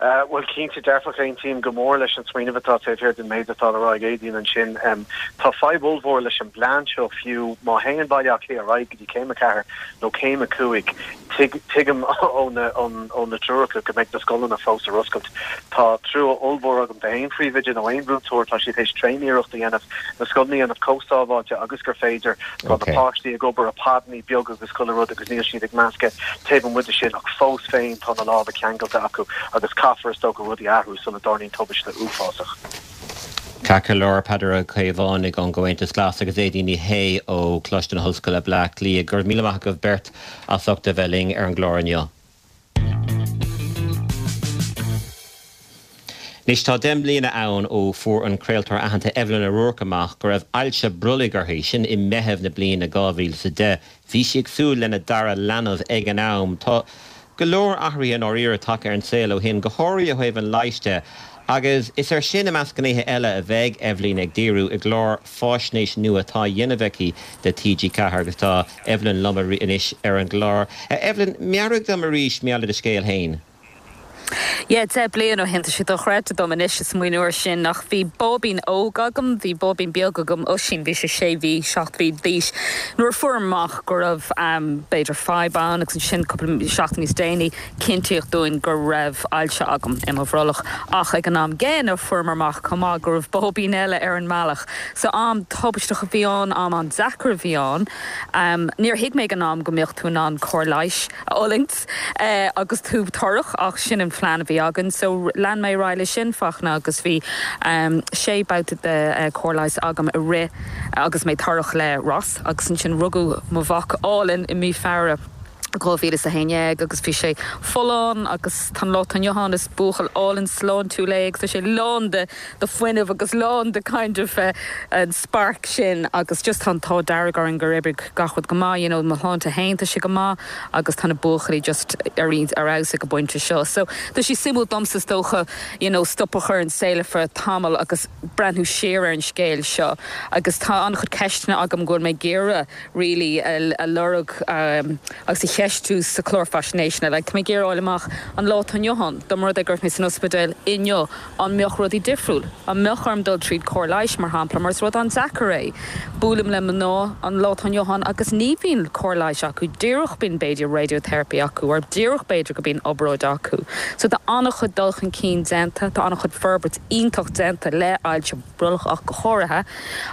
Bhuel, cinnte dearfach, aontaím go mór leis an smaoineamh atá taobh thiar den méid atá le rá ag Aedín ansin. Tá fadhb ollmhór leis an bplean seo fiú má théann Baile Átha Cliath ar aghaidh go dtí Céim 4 nó Céim 5, tuigim ó na treoracha go mbeidh na scoileanna fós ar oscailt. Tá trua ollmhór agam d'aon phríomhoide nó aon mhúinteoir, tá siad théis tréaniarracht a dhéanamh na scoileanna a dhéanamh chomh sábháilte agus gur féidir. Tá na páistí ag obair i podanna beaga agus chuile rud agus níl siad ag meascadh taobh amuigh de sin ach fós féin tá na lámha ceangailte acu agus caithfear is dócha rudaí a athrú sula dtarlaíonn tubaiste uafásach. Ceart go leor, Peadar Ó Caomhánaigh ón gComhaontas Glas agus Aedín Ní Shé ó Choláiste na hOllscoile, Bleá Cliath. Go raibh míle maith agaibh beirt as ucht a bheith linn ar an gclár inniu. Anois tá 10 mbliana ann ó fuair an craoltóir aitheanta Evelyn O'Rourke amach go raibh ailse brollaigh uirthi, sin i Meitheamh na bliana 2010. Bhí sí ag súil lena dara leanbh ag an am. Tá go leor athruithe i ndáiríre tagtha ar an saol ó shin, go háirithe ó thaobh an leighis de, agus is air sin, i measc gnéithe eile, a bheidh Eibhlín ag díriú i gclár faisnéise nua atá á dhéanamh aici do TG4 agus tá Evelyn liom anois ar an gclár. Evelyn, meabhraigh dom arís mar gheall ar do scéal féin. Yeah, 10 bliain ó shin, tá sé dochreidte dom anois ag smaoineamh air sin ach bhí báibín óg agam, bhí báibín beag agam, Oisín, bhí sé sé mhí, seacht mhí d'aois nuair a fuair amach go raibh b'fhéidir fadhb ann agus ansin cúpla seachtain níos déanaí Cinntíodh dúinn go raibh ailse agam i mo bhrollach ach ag an am gcéanna fuaireamar amach chomh maith go raibh báibín eile ar an mbealach. So am tubaisteach a bhí ann, am an-deacair a bhí ann. Níor thuig mé ag an am go mbeadh tú in ann cóir leighis a fhulaingt agus tú torrach ach sin an phlean a bhí againn. So lean mé ar aghaidh leis sin, Fachtna, agus bhí sé babhta de chóir leighis agam i rith agus mé torrach le Ross agus ansin rugadh mo mhac álainn i mí Feabhra. 2011 agus bhí sé folláin agus tá an lá atá inniu ann is buachaill álainn sláintiúil é agus tá sé lán de de fuinneamh agus lán de kind of an spark sin agus just tá an t-ádh dearg orainn gur oibrigh gach rud go maith you know mo shláinte féin tá sé go maith agus tá na buachaillí just ar ar fheabhas ag an bpointe seo so tá sé suimiúil domsa is dócha you know stop a chur an saol ar feadh tamall agus breathnú siar ar an scéal seo agus tá an-chuid ceisteanna agam go bhfuil mé ag iarraidh really a lorg agus a. cheistiú sa chlár faisnéise ná like tá mé ag iarraidh a fháil amach an lá atá inniu ann, dá mba rud é go raibh mé san ospidéal inniu, an mbeadh rudaí difriúil? An mbeadh orm dul tríd cóir leighis, mar shampla, mar is rud an-deacair é. Buailim le mná an lá atá inniu ann agus ní bhíonn cóir leighis acu, díreach bíonn b'fhéidir radiotherapy acu or díreach b'fhéidir go bíonn obráid acu. So tá an-chuid dul chun cinn déanta, tá an-chuid forbairt iontach déanta le ailse brollach ach go háirithe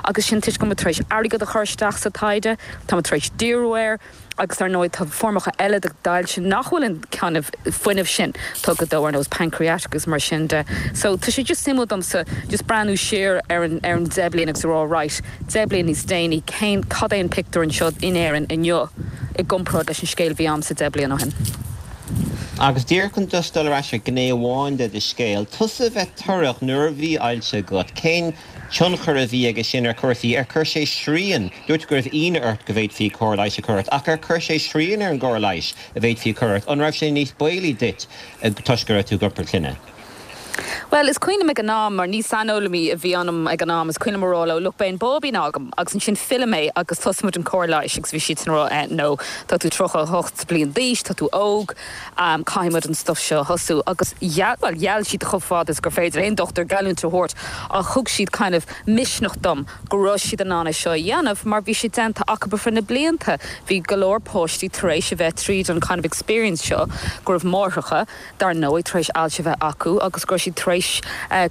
agus sin toisc go bhfuil muid tar éis airgead a chur isteach sa taighde, tá muid tar éis díriú air agus dar ndóigh tá foirmeacha eile d'ailse nach bhfuil an kind of fuinneamh sin tugtha dó ar nós pancreatic agus mar sin de. So tá sé just suimiúil domsa just breathnú siar ar an ar an 10 bliain agus a rá right, 10 bliain níos déanaí cén cad é an pictiúr anseo in Éirinn inniu i gcomparáid leis an scéal a bhí a'msa 10 bliain ó shin. Agus díreach chun just dul ar ais ar ghné amháin de do scéal, tusa a bheith torrach nuair a bhí ailse agat, cén tionchar a bhí aige sin ar chúrsaí? Ar chuir sé srian, dúirt tú go raibh ionadh ort go bhféadfaí cóir leighis a chur ort, ach ar chuir sé srian ar an gcóir leighis a bhféadfaí a chur ort? An raibh sé níos baolaí duit toisc go raibh tú ag iompar clainne? Bhuel, is cuimhin liom ag an am, mar ní saineolaí a bhí ionam ag an am, is cuimhin liom a rá leo, look, beidh an báibín agam agus ansin fillfidh mé agus tosóidh muid an cóir leighis agus bhí siadsan a rá, eh, no, tá tú 38 bliain d'aois, tá tú óg, caithfidh muid an stuff seo a thosú agus gheall, bhuel, gheall siad chomh fada is gur féidir aon dochtúir geallúint a thabhairt ach thug siad kind of misneach dom go raibh siad in ann é seo a dhéanamh mar bhí sé déanta acu ar feadh na blianta. Bhí go leor páistí tar éis a bheith tríd an kind of experience seo go raibh máithreacha, dar ndóigh, tar éis ailse a bheith acu agus go raibh siad tar éis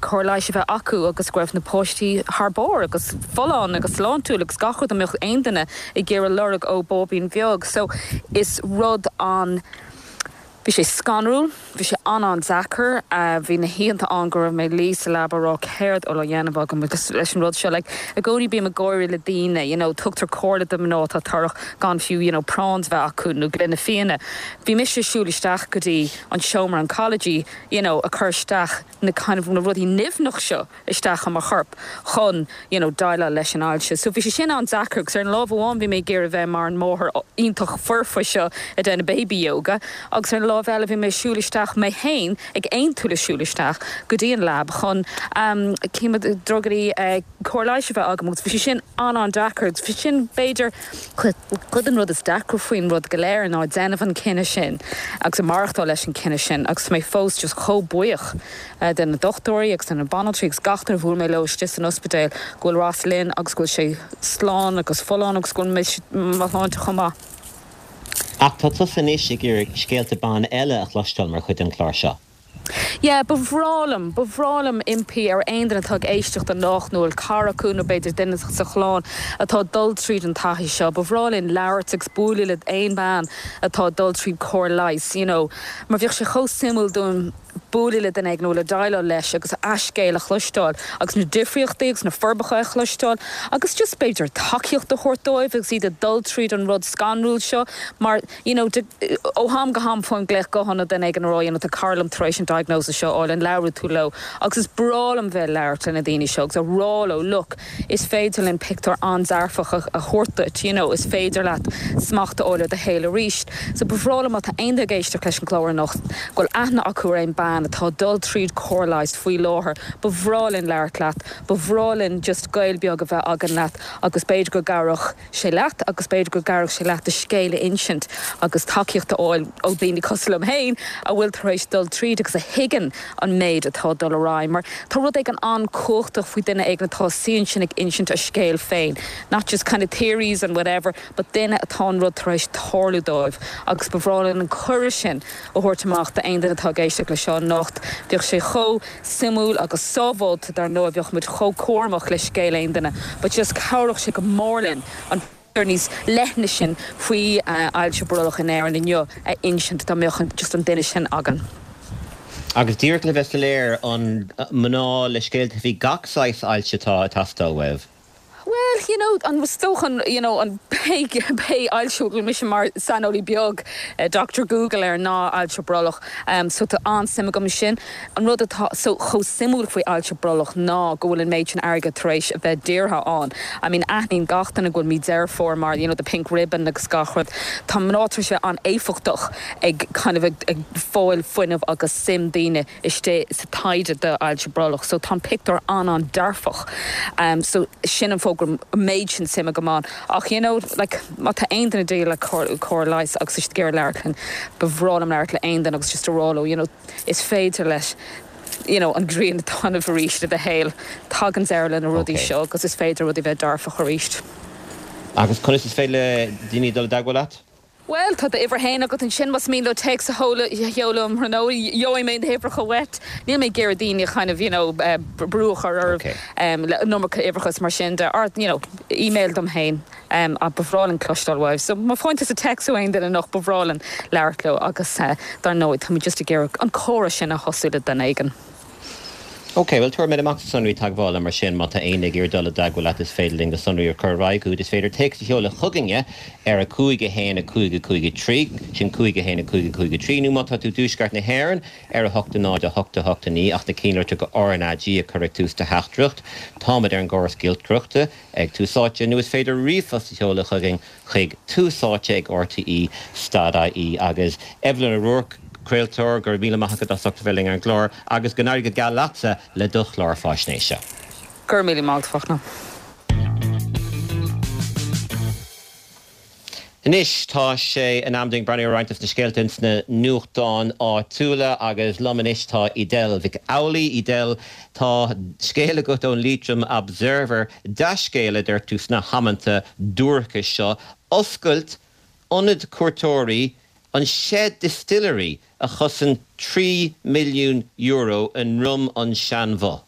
cóir leighis a bheith acu agus go raibh na páistí thar barr agus folláin agus sláintiúil agus gach rud a mbeadh aon duine ag iarraidh lorg ó bháibín bheag. So is rud an. Bhí sé scanrúil, bhí sé an-an-deacair, bhí na hoícheanta ann go raibh mé ag luí sa leaba ag rá céard atá le déanamh agam leis an rud seo. Like i gcónaí bím ag gáire le daoine, you know, tugtar comhairle do mhná atá torrach gan fiú, you know, prawns bheith acu nó gloine fíona. Bhí mise ag siúl isteach go dtí an seomra oncology, you know, ag cur isteach na kind of na rudaí nimhneach seo isteach i mo chorp chun, you know, déileáil leis an ailse. So bhí sé sin an-deacair agus ar an lámh amháin bhí mé ag iarraidh bheith mar an máthair iontach foirfe seo ag déanamh baby yoga agus ar an lámh eile bhí mé ag siúl isteach mé féin ag aontú le siúl isteach go dtí an lab chun um drugaí eh cóir leighis a bheith agam agus bhí sé sin an-an-deacair agus bhí sin b'fhéidir cuid den rud is deacra faoin rud go léir ná déanamh an cinneadh sin agus maireachtáil leis an cinneadh sin agus tá mé fós just chomh buíoch de na dochtúirí agus de na banaltraí agus gach duine a bhuail mé leo istigh san ospidéal go bhfuil Ross linn agus go bhfuil sé slán agus folláin agus go bhfuil mise mo shláinte chomh maith. Ach tá tusa anois ag iarraidh scéalta ban eile a chloisteáil mar chuid den chlár seo. Yeah, ba bhreá liom, ba bhreá liom impí ar aon duine atá ag éisteacht anocht nó a bhfuil cara acu nó b'fhéidir duine sa chlann atá ag dul tríd an taithí seo, ba bhreá linn labhairt agus bualadh le aon bean atá ag dul tríd cóir leighis, you know, mar bheadh sé chomh suimiúil dúinn bualadh le duine éigin nó le déileáil leis agus a scéal a chloisteáil agus na difríochtaí agus na forbacha a chloisteáil agus just b'fhéidir tacaíocht a thabhairt dóibh agus iad ag dul tríd an rud scanrúil seo mar you know, ó ham go ham faighim glaoch gutháin ó duine éigin ag rá, you know, tá cara liom tar éis an diagnosis seo a fháil, an labhróidh tú leo? Agus is breá liom bheith ag labhairt le na daoine seo agus a rá leo, look, is féidir linn pictiúr an-dearfach a thabhairt duit, you know, is féidir leat smacht a fháil ar do shaol arís. So ba bhreá liom má tá aon duine ag éisteacht leis an gclár anocht, go bhfuil aithne acu ar aon bean atá ag dul tríd cóir leighis faoi láthair, ba bhreá linn labhairt leat, ba bhreá linn just gaol beag a bheith againn leat agus b'fhéidir go gcabhródh sé leat agus b'fhéidir go gcabhródh sé leat do scéal a insint agus tacaíocht a fháil ó dhaoine cosúil liom féin a bhfuil tar éis dul tríd agus a thuigeann an méid atá ag dul ar aghaidh mar tá rud éigin an-chumhachtach faoi duine éigin atá suí ansin ag insint a scéal féin not just kind of theories and whatever but duine atá an rud tar éis tarlú dóibh agus ba bhreá linn an cuireadh sin a thabhairt amach d'aon duine atá ag éisteacht le seo anocht. Bheadh sé chomh suimiúil agus sábháilte dar ndóigh, bheadh muid chomh cúramach le scéal aon duine but just chabhródh sé go mór linn an pictiúr níos leithne sin faoi ailse brollach in Éirinn inniu a insint dá mbeadh just an duine sin againn. Agus díreach le bheith soiléir, an mná le scéalta faoi gach saghas ailse atá ag teastáil uaibh? Bhuel, you know, an is dócha an, you know, an pé, pé ailse a bhfuil mise mar saineolaí beag, Doctor Google air ná ailse brollach. So tá an-suim agam ansin. An rud atá so chomh suimiúil faoi ailse brollach ná go bhfuil an méid sin airgead tar éis a bheith dírithe ann. I mean, aithníonn gach duine go bhfuil mí Deireadh Fómhair mar, you know, the pink ribbon agus gach rud. Tá mná tar éis a bheith an-éifeachtach ag kind of ag, ag fáil fuinneamh agus suim daoine istigh sa taighde d'ailse brollach so tá an pictiúr an-an-dearfach. So sin an fáth. an méid sin suim agam ann. Ach you know, like, má tá aon duine ag déileáil le cóir leighis agus tá siad ag iarraidh labhairt linn, ba bhreá liom labhairt le aon duine agus just a rá leo, you know, is féidir leis, you know, an ghrian a taitneamh arís i do shaol. Tagann deireadh le na rudaí seo agus is féidir rudaí bheith dearfach arís. Agus conas is féidir le daoine dul i dteagmháil leat? Bhuel, tá d'uimhir féin agat ansin, más mian leo téacs a sheoladh um thráthnóna, gheobhaidh mé na huimhreacha uait. Níl mé ag iarraidh daoine a kind of, you know, brú a chur oraibh le an iomarca uimhreacha is mar sin de, or, you know, email dom féin. Ach ba bhreá linn cloisteáil uaibh. So má faigheann tusa téacs ó aon duine anocht, ba bhreá linn labhairt leo agus dar ndóigh, táimid just ag iarraidh an comhrá sin a thosú le duine éigin. Ok, bhuel tabharfaidh mé amach do sonraí teagmhála mar sin má tá éinne ag iarraidh dul i dteagmháil leat is féidir linn do sonraí a chur ar aghaidh chugat. Is féidir téacs a sheoladh chugainne ar 5 1 5 5 3, sin 5 1 5 5 3, nó má tá tú i dtuaisceart na hÉireann ar 8 0 8 8 9 ach na cinnlitreacha RnaG a chur ag tús do theachtaireacht. Táimid ar an gcóras giolcaireachta ag Tús Áite nó is féidir ríomhphost a sheoladh chugainn chuig Tús Áite ag RTÉ stad IE agus Evelyn O'Rourke, craoltóir, go raibh míle maith agat as ucht a bheith linn ar an gclár agus go n-éirí go geal leatsa le do chlár faisnéise. Go raibh míle maith agat, a Fachtna. Anois tá sé in am dúinn breathnú ar roinnt de na scéalta ins na nuachtáin áitiúla agus liom anois tá Edel Mhic Amhlaigh. Edel, tá scéal agat ón Leitrim Observer, dea-scéal a deir tú sna hamanta duairce seo, oscailt ionad cuairteoirí an Shed Distillery a chosain €3 milliún i nDroim an Seanbhoth.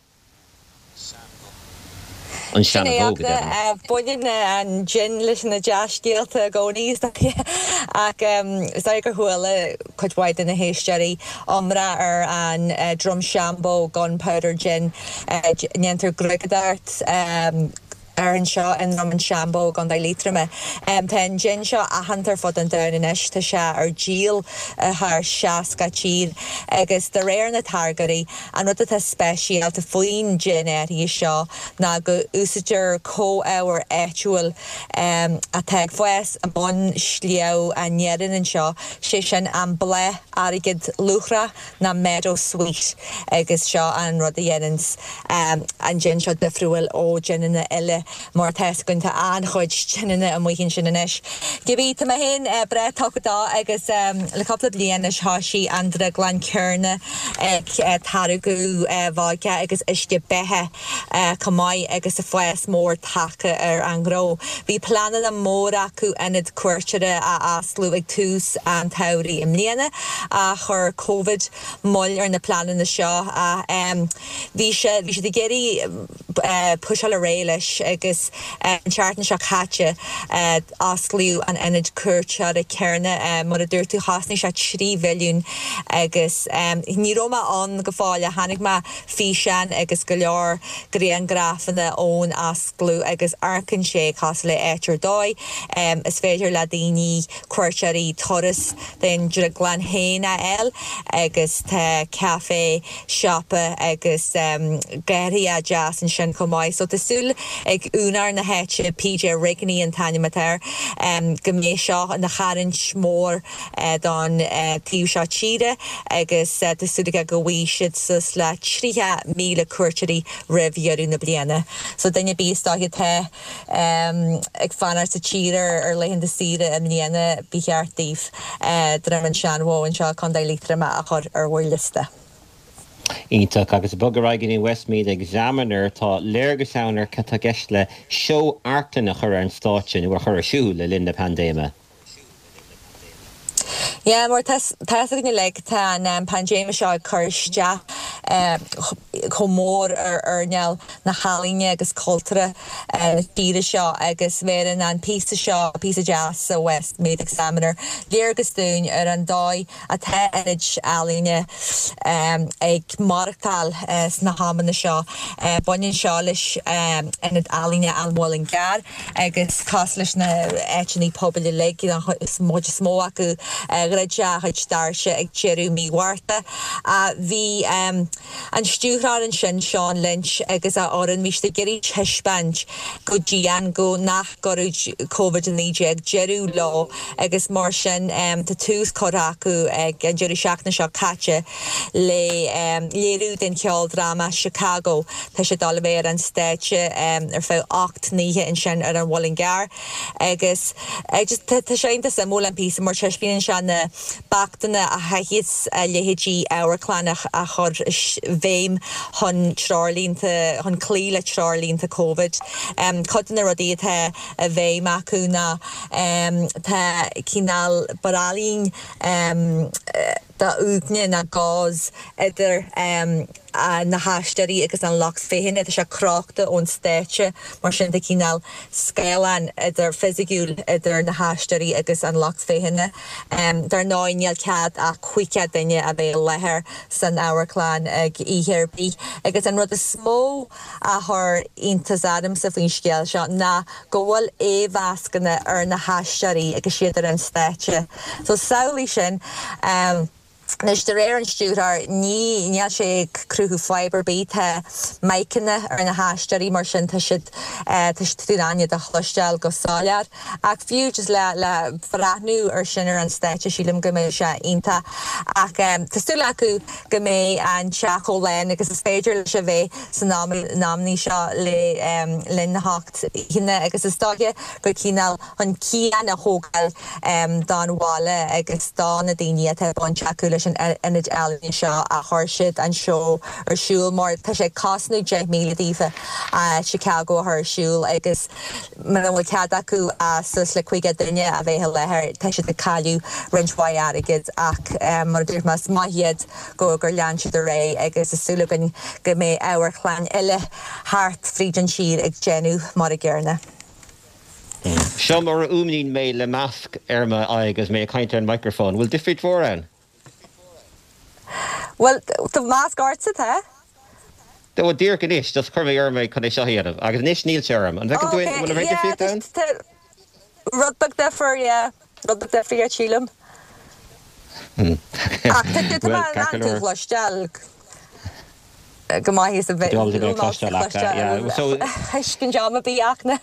An Sin é Seanbhó, go deimhin. Baineann an jin leis na dea-scéalta i gcónaí, is dóiche. Ach is dóigh gur chuala cuid mhaith de na héisteoirí iomrá ar an Drumshanbo Gunpowder Gin. Déantar gruagadóireacht air anseo i nDroim an Seanbhó i gContae Liatroma. Tá an jin seo aitheanta ar fud an domhain anois, tá sé ar díol i thar 60 tír agus de réir na táirgeoirí, an rud atá speisialta faoin jin áirithe seo ná go úsáidtear comhábhar áitiúil atá ag fás i mbun Shliabh an Iarainn anseo, sé sin an bláth airgid luachra. ná meadowsweet agus seo an rud a dhéananns an jin seo difriúil ó jineanna eile mar tá fhios againn tá an-chuid jineanna amuigh ansin anois. Cibé, tá mé féin breá tugtha dó agus le cúpla bliain anois thoisigh an drioglann céanna ag táirgeadh vodka agus uisce beatha chomh maith agus fás mór tagtha ar an ngnó. Bhí pleananna móra acu ionad cuairteoirí a osclú ag tús an tsamhraidh i mbliana ach chuir Covid moill ar na pleananna seo ach bhí sé bhí siad ag iarraidh puiseáil ar aghaidh leis agus an tseachtain seo caite osclaíodh an ionad cuairteoirí céanna. Mar a dúirt tú chosnaigh sé 3 mhilliún agus ní raibh mé ann go fóill ach chonaic mé físeáin agus go leor grianghrafanna ón osclú agus amharcann sé cosúil le áit ar dóigh. Is féidir le daoine, cuairteoirí, turas den drioglann féin a fháil agus tá caife, siopa agus garraí deas ansin chomh maith. So tá súil ag úinéir na háite, PJ Rigney an t-ainm atá air, go mbeidh seo ina tharraingt mhór don taobh seo tíre agus tá súil aige go bhfaighidh siad suas le 30,000 cuairteoirí roimh dheireadh na bliana. So duine ar bith is dóiche atá ag fanacht sa tír ar laethanta saoire i mbliana ba cheart daoibh Droim an Seanbhó anseo i Contae Liatroma a chur ar bhur liosta. Iontach. Agus ag bogadh ar aghaidh go dtí an Westmeath Examiner, tá léargas ann ar cad tá i gceist le seó amharclainne a chur ar an stáitse nó a chur ar siúl le linn na paindéime. Yeah, mar tá fhios againn uilig, tá an paindéim seo ag cur isteach chomh mór ar earnáil na healaíne agus cultúrtha na tíre seo agus bheireann an píosa seo, píosa deas sa Westmeath Examiner, léargas dúinn ar an dóigh atá ionaid ealaíne ag maireachtáil sna hamanna seo. Baineann seo leis Ionad Ealaíne an Mhuilinn gCearr. Agus cosúil leis na áiteanna pobail uilig, an chuid is mó acu, dhruid a chuid doirse ag deireadh mí Mhárta. Bhí. An stiúrthóir ansin, Seán Lynch, agus a fhoireann, bhí siad ag iarraidh taispeáint go dian go nach gcuirfeadh Covid-19 deireadh leo agus mar sin tá tús curtha acu ag an deireadh seachtaine seo caite le léiriú den cheoldráma Chicago. Tá sé ag dul a bheith ar an stáitse ar feadh 8 n-oíche ansin ar an Mhuileann gCearr agus tá sé iontach suimiúil an píosa mar taispeánann sé na beachtanna a chaithfeas a leithéidí amharclann a chur i bhfeidhm chun treoirlínte, chun cloí le treoirlínte Covid. Cuid de na rudaí atá i bhfeidhm acu ná tá cineál braillín d'uaigne nó gauze idir na haisteoirí agus an lucht féachana. Tá sé crochta ón stáitse, mar sin tá cineál scáileán idir, fisiciúil idir na haisteoirí agus an lucht féachana. Dar ndóigh níl cead ach 50 duine a bheith i láthair san amharclann ag oíche ar bith agus an rud is mó a chuir iontas ormsa faoin scéal seo ná go bhfuil aghaidhmhascanna ar na haisteoirí agus iad ar an stáitse. So samhlaigh sin. Anois, de réir an stiúrthóir, ní, níl sé ag cruthú fadhb ar bith. Tá miceanna ar na haisteoirí, mar sin tá siad, tá tú in ann iad a chloisteáil go soiléir. Ach fiú just le, le breathnú ar sin ar an stáitse, sílim go mbeidh sé iontach. Ach tá súil acu go mbeidh an teach chomh lán agus is féidir leis a bheith san am, na amannaí seo le linn na hocht oícheanna agus is dóiche gur cineál chun cian a thógáil don bhaile agus do na daoine atá baint acu leis an ionad ealaíne seo a chuir siad an seó ar siúl mar tá sé ag cosnú 10,000 daofa Chicago a chur ar siúl agus muna bhfuil cead acu suas le 50 duine a bheith i láthair tá siad ag cailleadh roinnt mhaith airgid ach mar a dúirt mé is maith iad go gur lean siad ar aghaidh agus tá súil againn go mbeidh amharclann eile thart fríd an tír ag déanamh mar a gcéanna. Seo mar a fhuaimníonn mé le masc ar m'aghaidh agus mé ag caint ar an micreafón. Bhfuil difríocht mhór ann? Bhuel, tá masc ortsa, tá? Bhuel, díreach anois, just chuir mé orm é chun é seo a dhéanamh, agus anois níl sé orm. An bhfeiceann tú aon, bhfuil aon difríocht ann? Tá rud beag difear, yeah. Rud beag difríocht, sílim. Ach tá tú in ann tú a chloisteáil. go maith is a bheith thuiscint am a bhí ach na.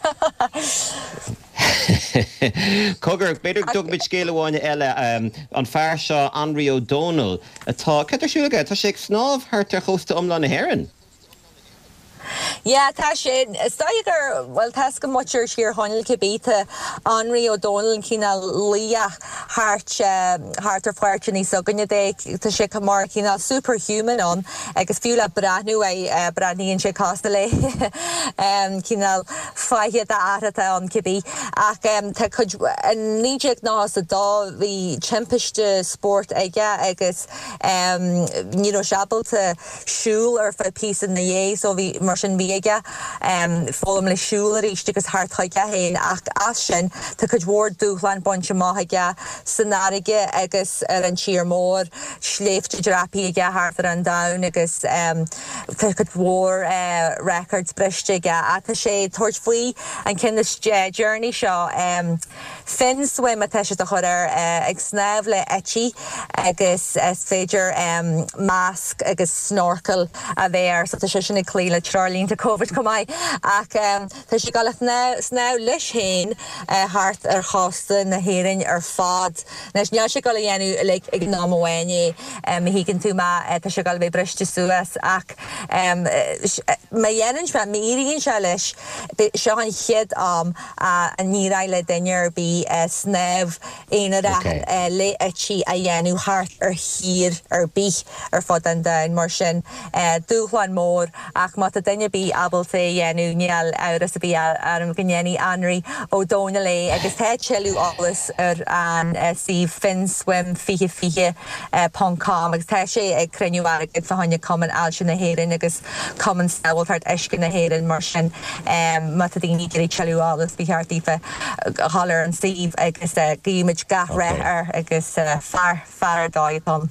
Cogar, b'fhéidir go dtógfaimid scéal amháin eile, an fear seo Anraí Ó Dónaill atá, cad tá ar siúl aige? Tá sé ag snámh thart ar chósta iomlán na hÉireann. Yeah, tá sé, is dóigh gur, bhuel, tá 'fhios ag muintir Thír Chonaill cibé, tá Anraí Ó Dónaill cineál laoch thart, thart ar pháirteanna s'againne de, tá sé mar chineál superhuman ann agus fiú le breathnú air, breathnaíonn sé cosúil le cineál fáithe d'fhear atá ann cibé. Ach tá cuid, in 1992 bhí timpiste spóirt aige agus ní raibh sé ábalta siúl ar feadh píosa ina dhiaidh so bhí, mar sin bhí aige foghlaim le siúl arís agus theacht chuige féin ach as sin tá cuid mhór dúshlán bainte amach aige san fharraige agus ar an tír mór, sléibhte dreapaithe aige thart ar an domhan agus tá cuid mhór records briste aige ach tá sé ag tabhairt faoi an ceann is deireanaí seo. Fin swim atá siad a chur air, ag snámh le eití agus is féidir masc agus snorkel a bheith air so tá sé sin ag cloí le treoirlínte Covid chomh maith ach tá sé ag dul a shnámh leis féin thart ar chósta na hÉireann ar fad. Anois níl sé ag dul a dhéanamh uilig ag an am amháin é má thuigeann tú mé, tá sé ag dul a bheith briste suas ach má dhéanann sé, má éiríonn sé leis, seo an chéad am a n-éireoidh le duine ar bith snámh aonarach le eití a dhéanamh thart ar thír ar bith ar fud an domhain. Mar sin, dúshlán mór ach má tá duine ar bith ábalta é a dhéanamh, níl amhras ar bith orm go ndéanfaidh Anraí Ó Dónaill é agus tá tuilleadh eolais ar an suíomh finswim 2020 ponc com agus tá sé ag cruinniú airgid fá choinne Cumann Ailse na hÉireann agus Cumann Sábháilteacht Uisce na hÉireann mar sin má tá daoine ag iarraidh tuilleadh eolais ba cheart daofa dhul ar an suíomh agus guímid gach rath air agus fear fear ar dóigh atá ann.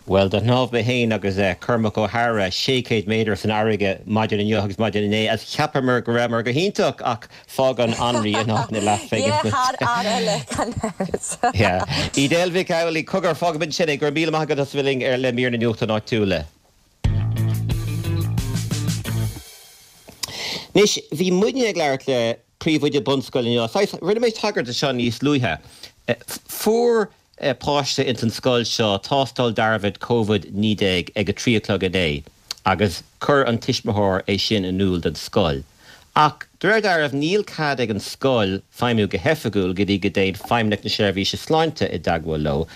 Bhuel, do shnámh mé féin agus Cormac Ó hEadhra 600 méadar san fharraige maidin inniu agus maidin inné agus cheapamar go rabhamar go hiontach ach fágann Anraí in áit na leathphingine Yeah, thar fhear eile, gan amhras. Yeah. Edel Mhic Amhlaigh, cogar, fágfaimid ansin é. Go raibh míle maith agat as a bheith linn ar le mír na nuachtáin áitiúla. Anois, bhí muidne ag labhairt le príomhoide bunscoile inniu. Saghas, rinne mé tagairt do seo níos luaithe. Fuair páiste ins an scoil seo tástáil dearfach Covid-19 ag a 3 a chlog inné agus chuir an tuismitheoir é sin in iúl don scoil. Ach de réir dealraimh níl cead ag an scoil feidhmiú go hoifigiúil go dtí go dtéann Feidhmeannacht na Seirbhíse Sláinte i dteagmháil leo.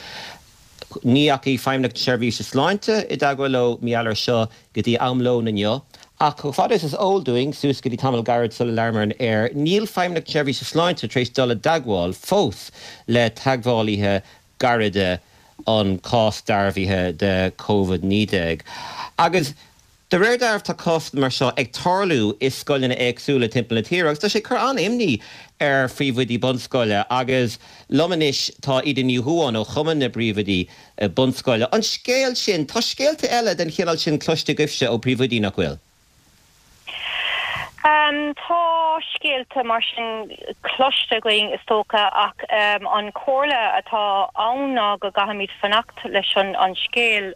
Ní dheachaigh Feidhmeannacht na Seirbhíse Sláinte i dteagmháil leo mar gheall air seo go dtí am lóin inniu. Ach chomh fada is is eol dúinn, suas go dtí tamall gairid sula labhramar ar an aer, níl Feidhmeannacht na Seirbhíse Sláinte tar éis dul i dteagmháil fós le teagmhálaithe gairide an cás dearbhaithe de Covid-19. Agus De réir dealraimh tá cásanna mar seo ag tarlú i scoileanna éagsúla timpeall na tíre agus tá sé ag cur an-imní ar phríomhoidí bunscoile agus liom anois tá Íde Ní Dhubháin ó Chumann na bPríomhoidí Bunscoile. An scéal sin, tá scéalta eile den chineál sin cloiste agaibhse ó phríomhoidí, nach bhfuil? Tá scéalta mar sin cloiste againn is dócha ach an chomhairle atá ann ná go gcaithfimid fanacht leis an scéal.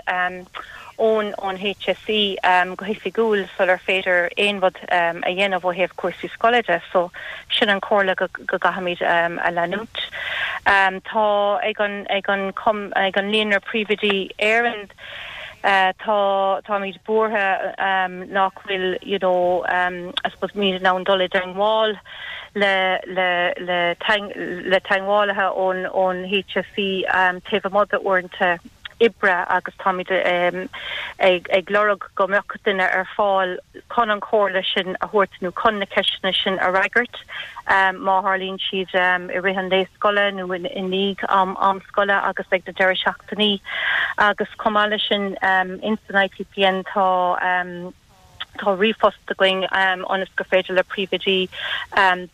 ón ón HSE go hoifigiúil sular féidir aon rud a dhéanamh ó thaobh cúrsaí scoile de. So sin an chomhairle go go gcaithfimid a leanúint. Tá ag an ag an ag an Líonra Príomhoidí Éireann tá táimid buartha nach bhfuil you know I suppose muid in ann dul i dteangmháil le le le le teangmhálaithe ón ón HSE taobh amuigh d'uaireanta oibre agus táimid ag lorg go mbeadh duine ar fáil chun an chomhairle sin a thabhairt nó chun na ceisteanna sin a fhreagairt má tharlaíonn siad i rith an lae scoile nó i ndiaidh am am scoile agus ag na deireadh seachtainí. Agus chomh maith leis sin ins an IPPN tá Tá ríomhphost againn ionas gur féidir le príomhoidí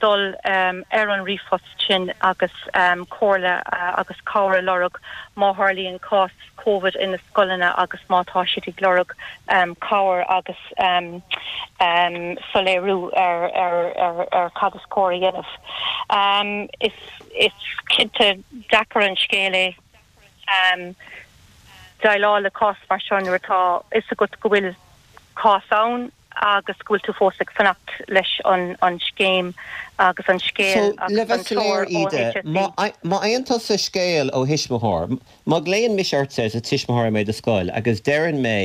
dul ar an ríomhphost sin agus comhairle agus cabhair a lorg má tharlaíonn cás Covid ina scoileanna agus má tá siad ag lorg cabhair agus soiléiriú ar cad is cóir a dhéanamh. Is cinnte deacair an scéal é déileáil le cás mar seo nuair atá fhios agat go bhfuil cás ann agus go bhfuil tú fós ag fanacht leis an scéim agus an scéal So, le agus an bheith soiléir, treoir ó Íde, HSE. má má fhaigheann tusa scéal ó thuismitheoir, má ghlaonn mise ortsa is tuismitheoir mé i do scoil agus deireann mé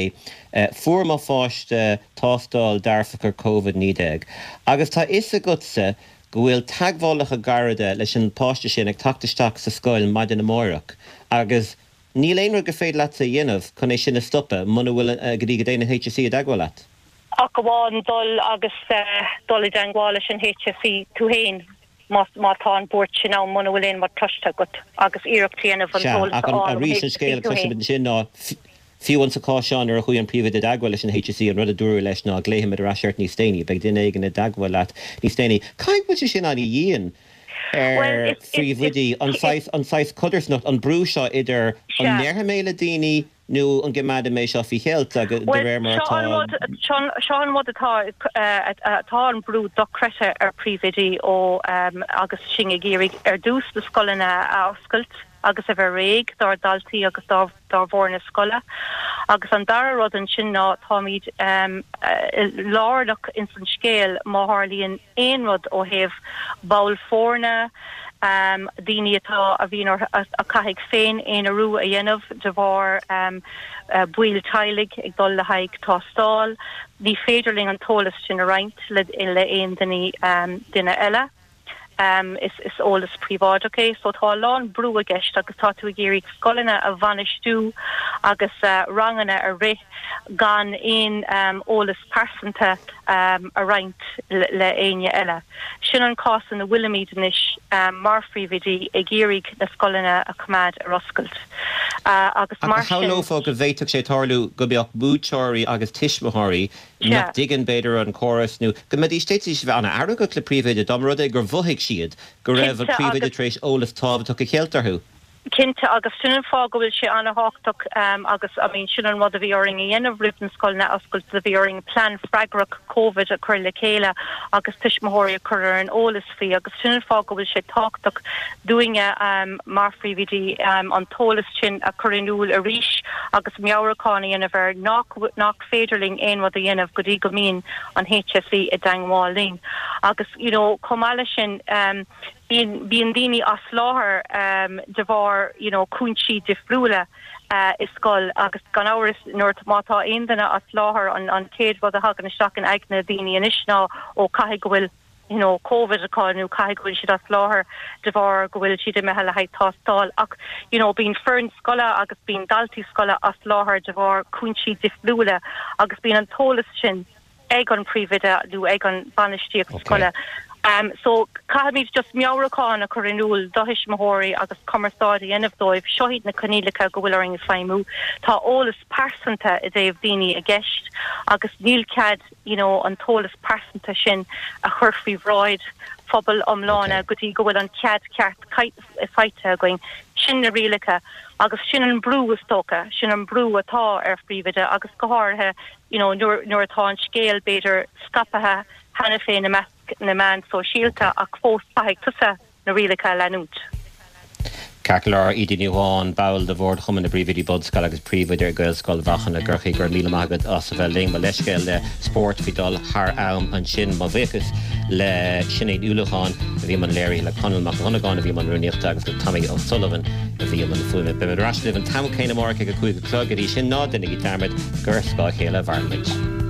fuair mo pháiste tástáil dearfach ar Covid-19 agus tá fhios agatsa go bhfuil teagmhálacha gairide leis an bpáiste sin ag teacht isteach sa scoil maidin amáireach agus níl aon rud gur féidir leatsa a dhéanamh chun é sin a stopadh muna bhfuil, go dtí go dtéann an HSE i dteagmháil leat. Ach amháin dul agus dul i dteagmháil leis an HSE tú féin má tá an bhuairt sin ann, muna bhfuil aon rud cloiste agat agus iarracht a dhéanamh an Sea, t-eolas ach a fháil ón arís an HSE scéal a tú féin. chloisimid ansin ná Fiú insa chás seo nuair a chuaigh an príomhoide i dteagmháil leis an HSE an rud a dúradh leis ná glaofaimid ar ais ort níos déanaí, beidh duine éigin i dteagmháil leat níos déanaí. Caithfidh go bhfuil sé sin an-dhian Bhuel, ar is, is, is, phríomhoidí, an saghas, an saghas codarsnacht, an brú seo idir an sea. ndéarfaidh mé le daoine nó an gcoimeádfaidh mé seo faoi cheilt agus de Bhuel, réir mar seo atá. an rud, seo, seo an rud atá, atá an brú dochreidte ar phríomhoidí ó agus sinn ag iarraidh ar dtús na scoileanna a oscailt agus a bheith réidh dár ndaltaí agus dár dár bhfoirne scoile. Agus an dara rud ansin ná táimid lárnach ins an scéal má tharlaíonn aon rud ó thaobh ball foirne, daoine atá, a bhíonn orthu, a chaithfidh féin-aonarú a dhéanamh de bharr baill teaghlaigh ag dul le haghaidh tástáil. Ní féidir linn an t-eolas sin a roinnt le aon duine eile. Is eolas príobháideach é so tá a lán brú i gceist agus tá tú ag iarraidh scoileanna a bhainistiú agus ranganna a rith gan aon eolas pearsanta a roinnt le éinne eile. Sin an cás ina bhfuilimid anois mar phríomhoidí ag iarraidh na scoileanna a choimeád ar oscailt agus Ach mar sin. shamhlófá go bhféadfadh sé tarlú go mbeadh múinteoirí agus tuismitheoirí nach dtuigeann, b'fhéidir, an córas nó go mbeidís, d'fhéadfaidís a bheith an-fheargach le príomhoide dá mba rud é gur mhothaigh siad go raibh an Cinnte, príomhoide agus. tar éis eolas tábhachtach a cheilt orthu. Cinnte, agus sin an fáth go bhfuil sé an-thábhachtach agus I mean sin an rud a bhí orainn a dhéanamh roimh na scoileanna a oscailt, do bhí orainn plean freagrach Covid a chur le chéile agus tuismitheoirí a chur ar an eolas faoi agus sin an fáth go bhfuil sé tábhachtach dúinne mar phríomhoidí an t-eolas sin a chur in iúl arís agus meabhrúchán a dhéanamh air nach nach féidir linn aon rud a dhéanamh go dtí go mbíonn an HSE i dteangmháil linn agus you know chomh maith leis sin Bíonn, bíonn daoine as láthair de bharr you know cúinsí difriúla i scoil agus gan amhras nuair, má tá aon duine as láthair an, an chéad rud a thagann isteach in aigne daoine anois ná ó caithfidh go bhfuil you know Covid acu nó caithfidh go bhfuil siad as láthair de bharr go bhfuil siad imithe le haghaidh tástáil ach you know bíonn foireann scoile agus bíonn daltaí scoile as láthair de bharr cúinsí difriúla agus bíonn an t-eolas sin ag an príomhoide nó ag an bainistíocht scoile. So caithfimid just meabhrúchán a chur in iúl do thuismitheoirí agus cumarsáid a dhéanamh dóibh, seo iad na coinníollacha go bhfuil orainn feidhmiú. Tá eolas pearsanta i dtaobh daoine i gceist agus níl cead you know an t-eolas pearsanta sin a chur faoi bhráid phobal iomlána go dtí go bhfuil an cead ceart faighte againn. Sin na rialacha agus sin an brú is dócha, sin an brú atá ar phríomhoide agus go háirithe you know nuair nuair atá an scéal b'fhéidir scaipthe cheana féin i measc na meán sóisialta ach fós caithfidh tusa na rialacha a leanúint. Ceart go leor, Íde Ní Dhubháin, ball de Bhord Chumann na bPríomhoidí Bunscoile agus Príomhoide ag Gaelscoil Mhachan i gCorcaigh, go raibh míle maith agat as a bheith linn. Mo leithscéal le Spórt faoi dul thar am ansin. Mo bhuíochas le Sinéad Ní Uallacháin a bhí i mbun léirithe, le Conall Mac Dhonnagáin a bhí i mbun rúnaíochta agus le Tommy O'Sullivan a bhí i mbun fuaime. Beimid ar ais libh an t-am céanna amárach ag a 5 a chlog. Go dtí sin, ná déanaigí dearmad gur ar scáth a chéile a mhaireann muid.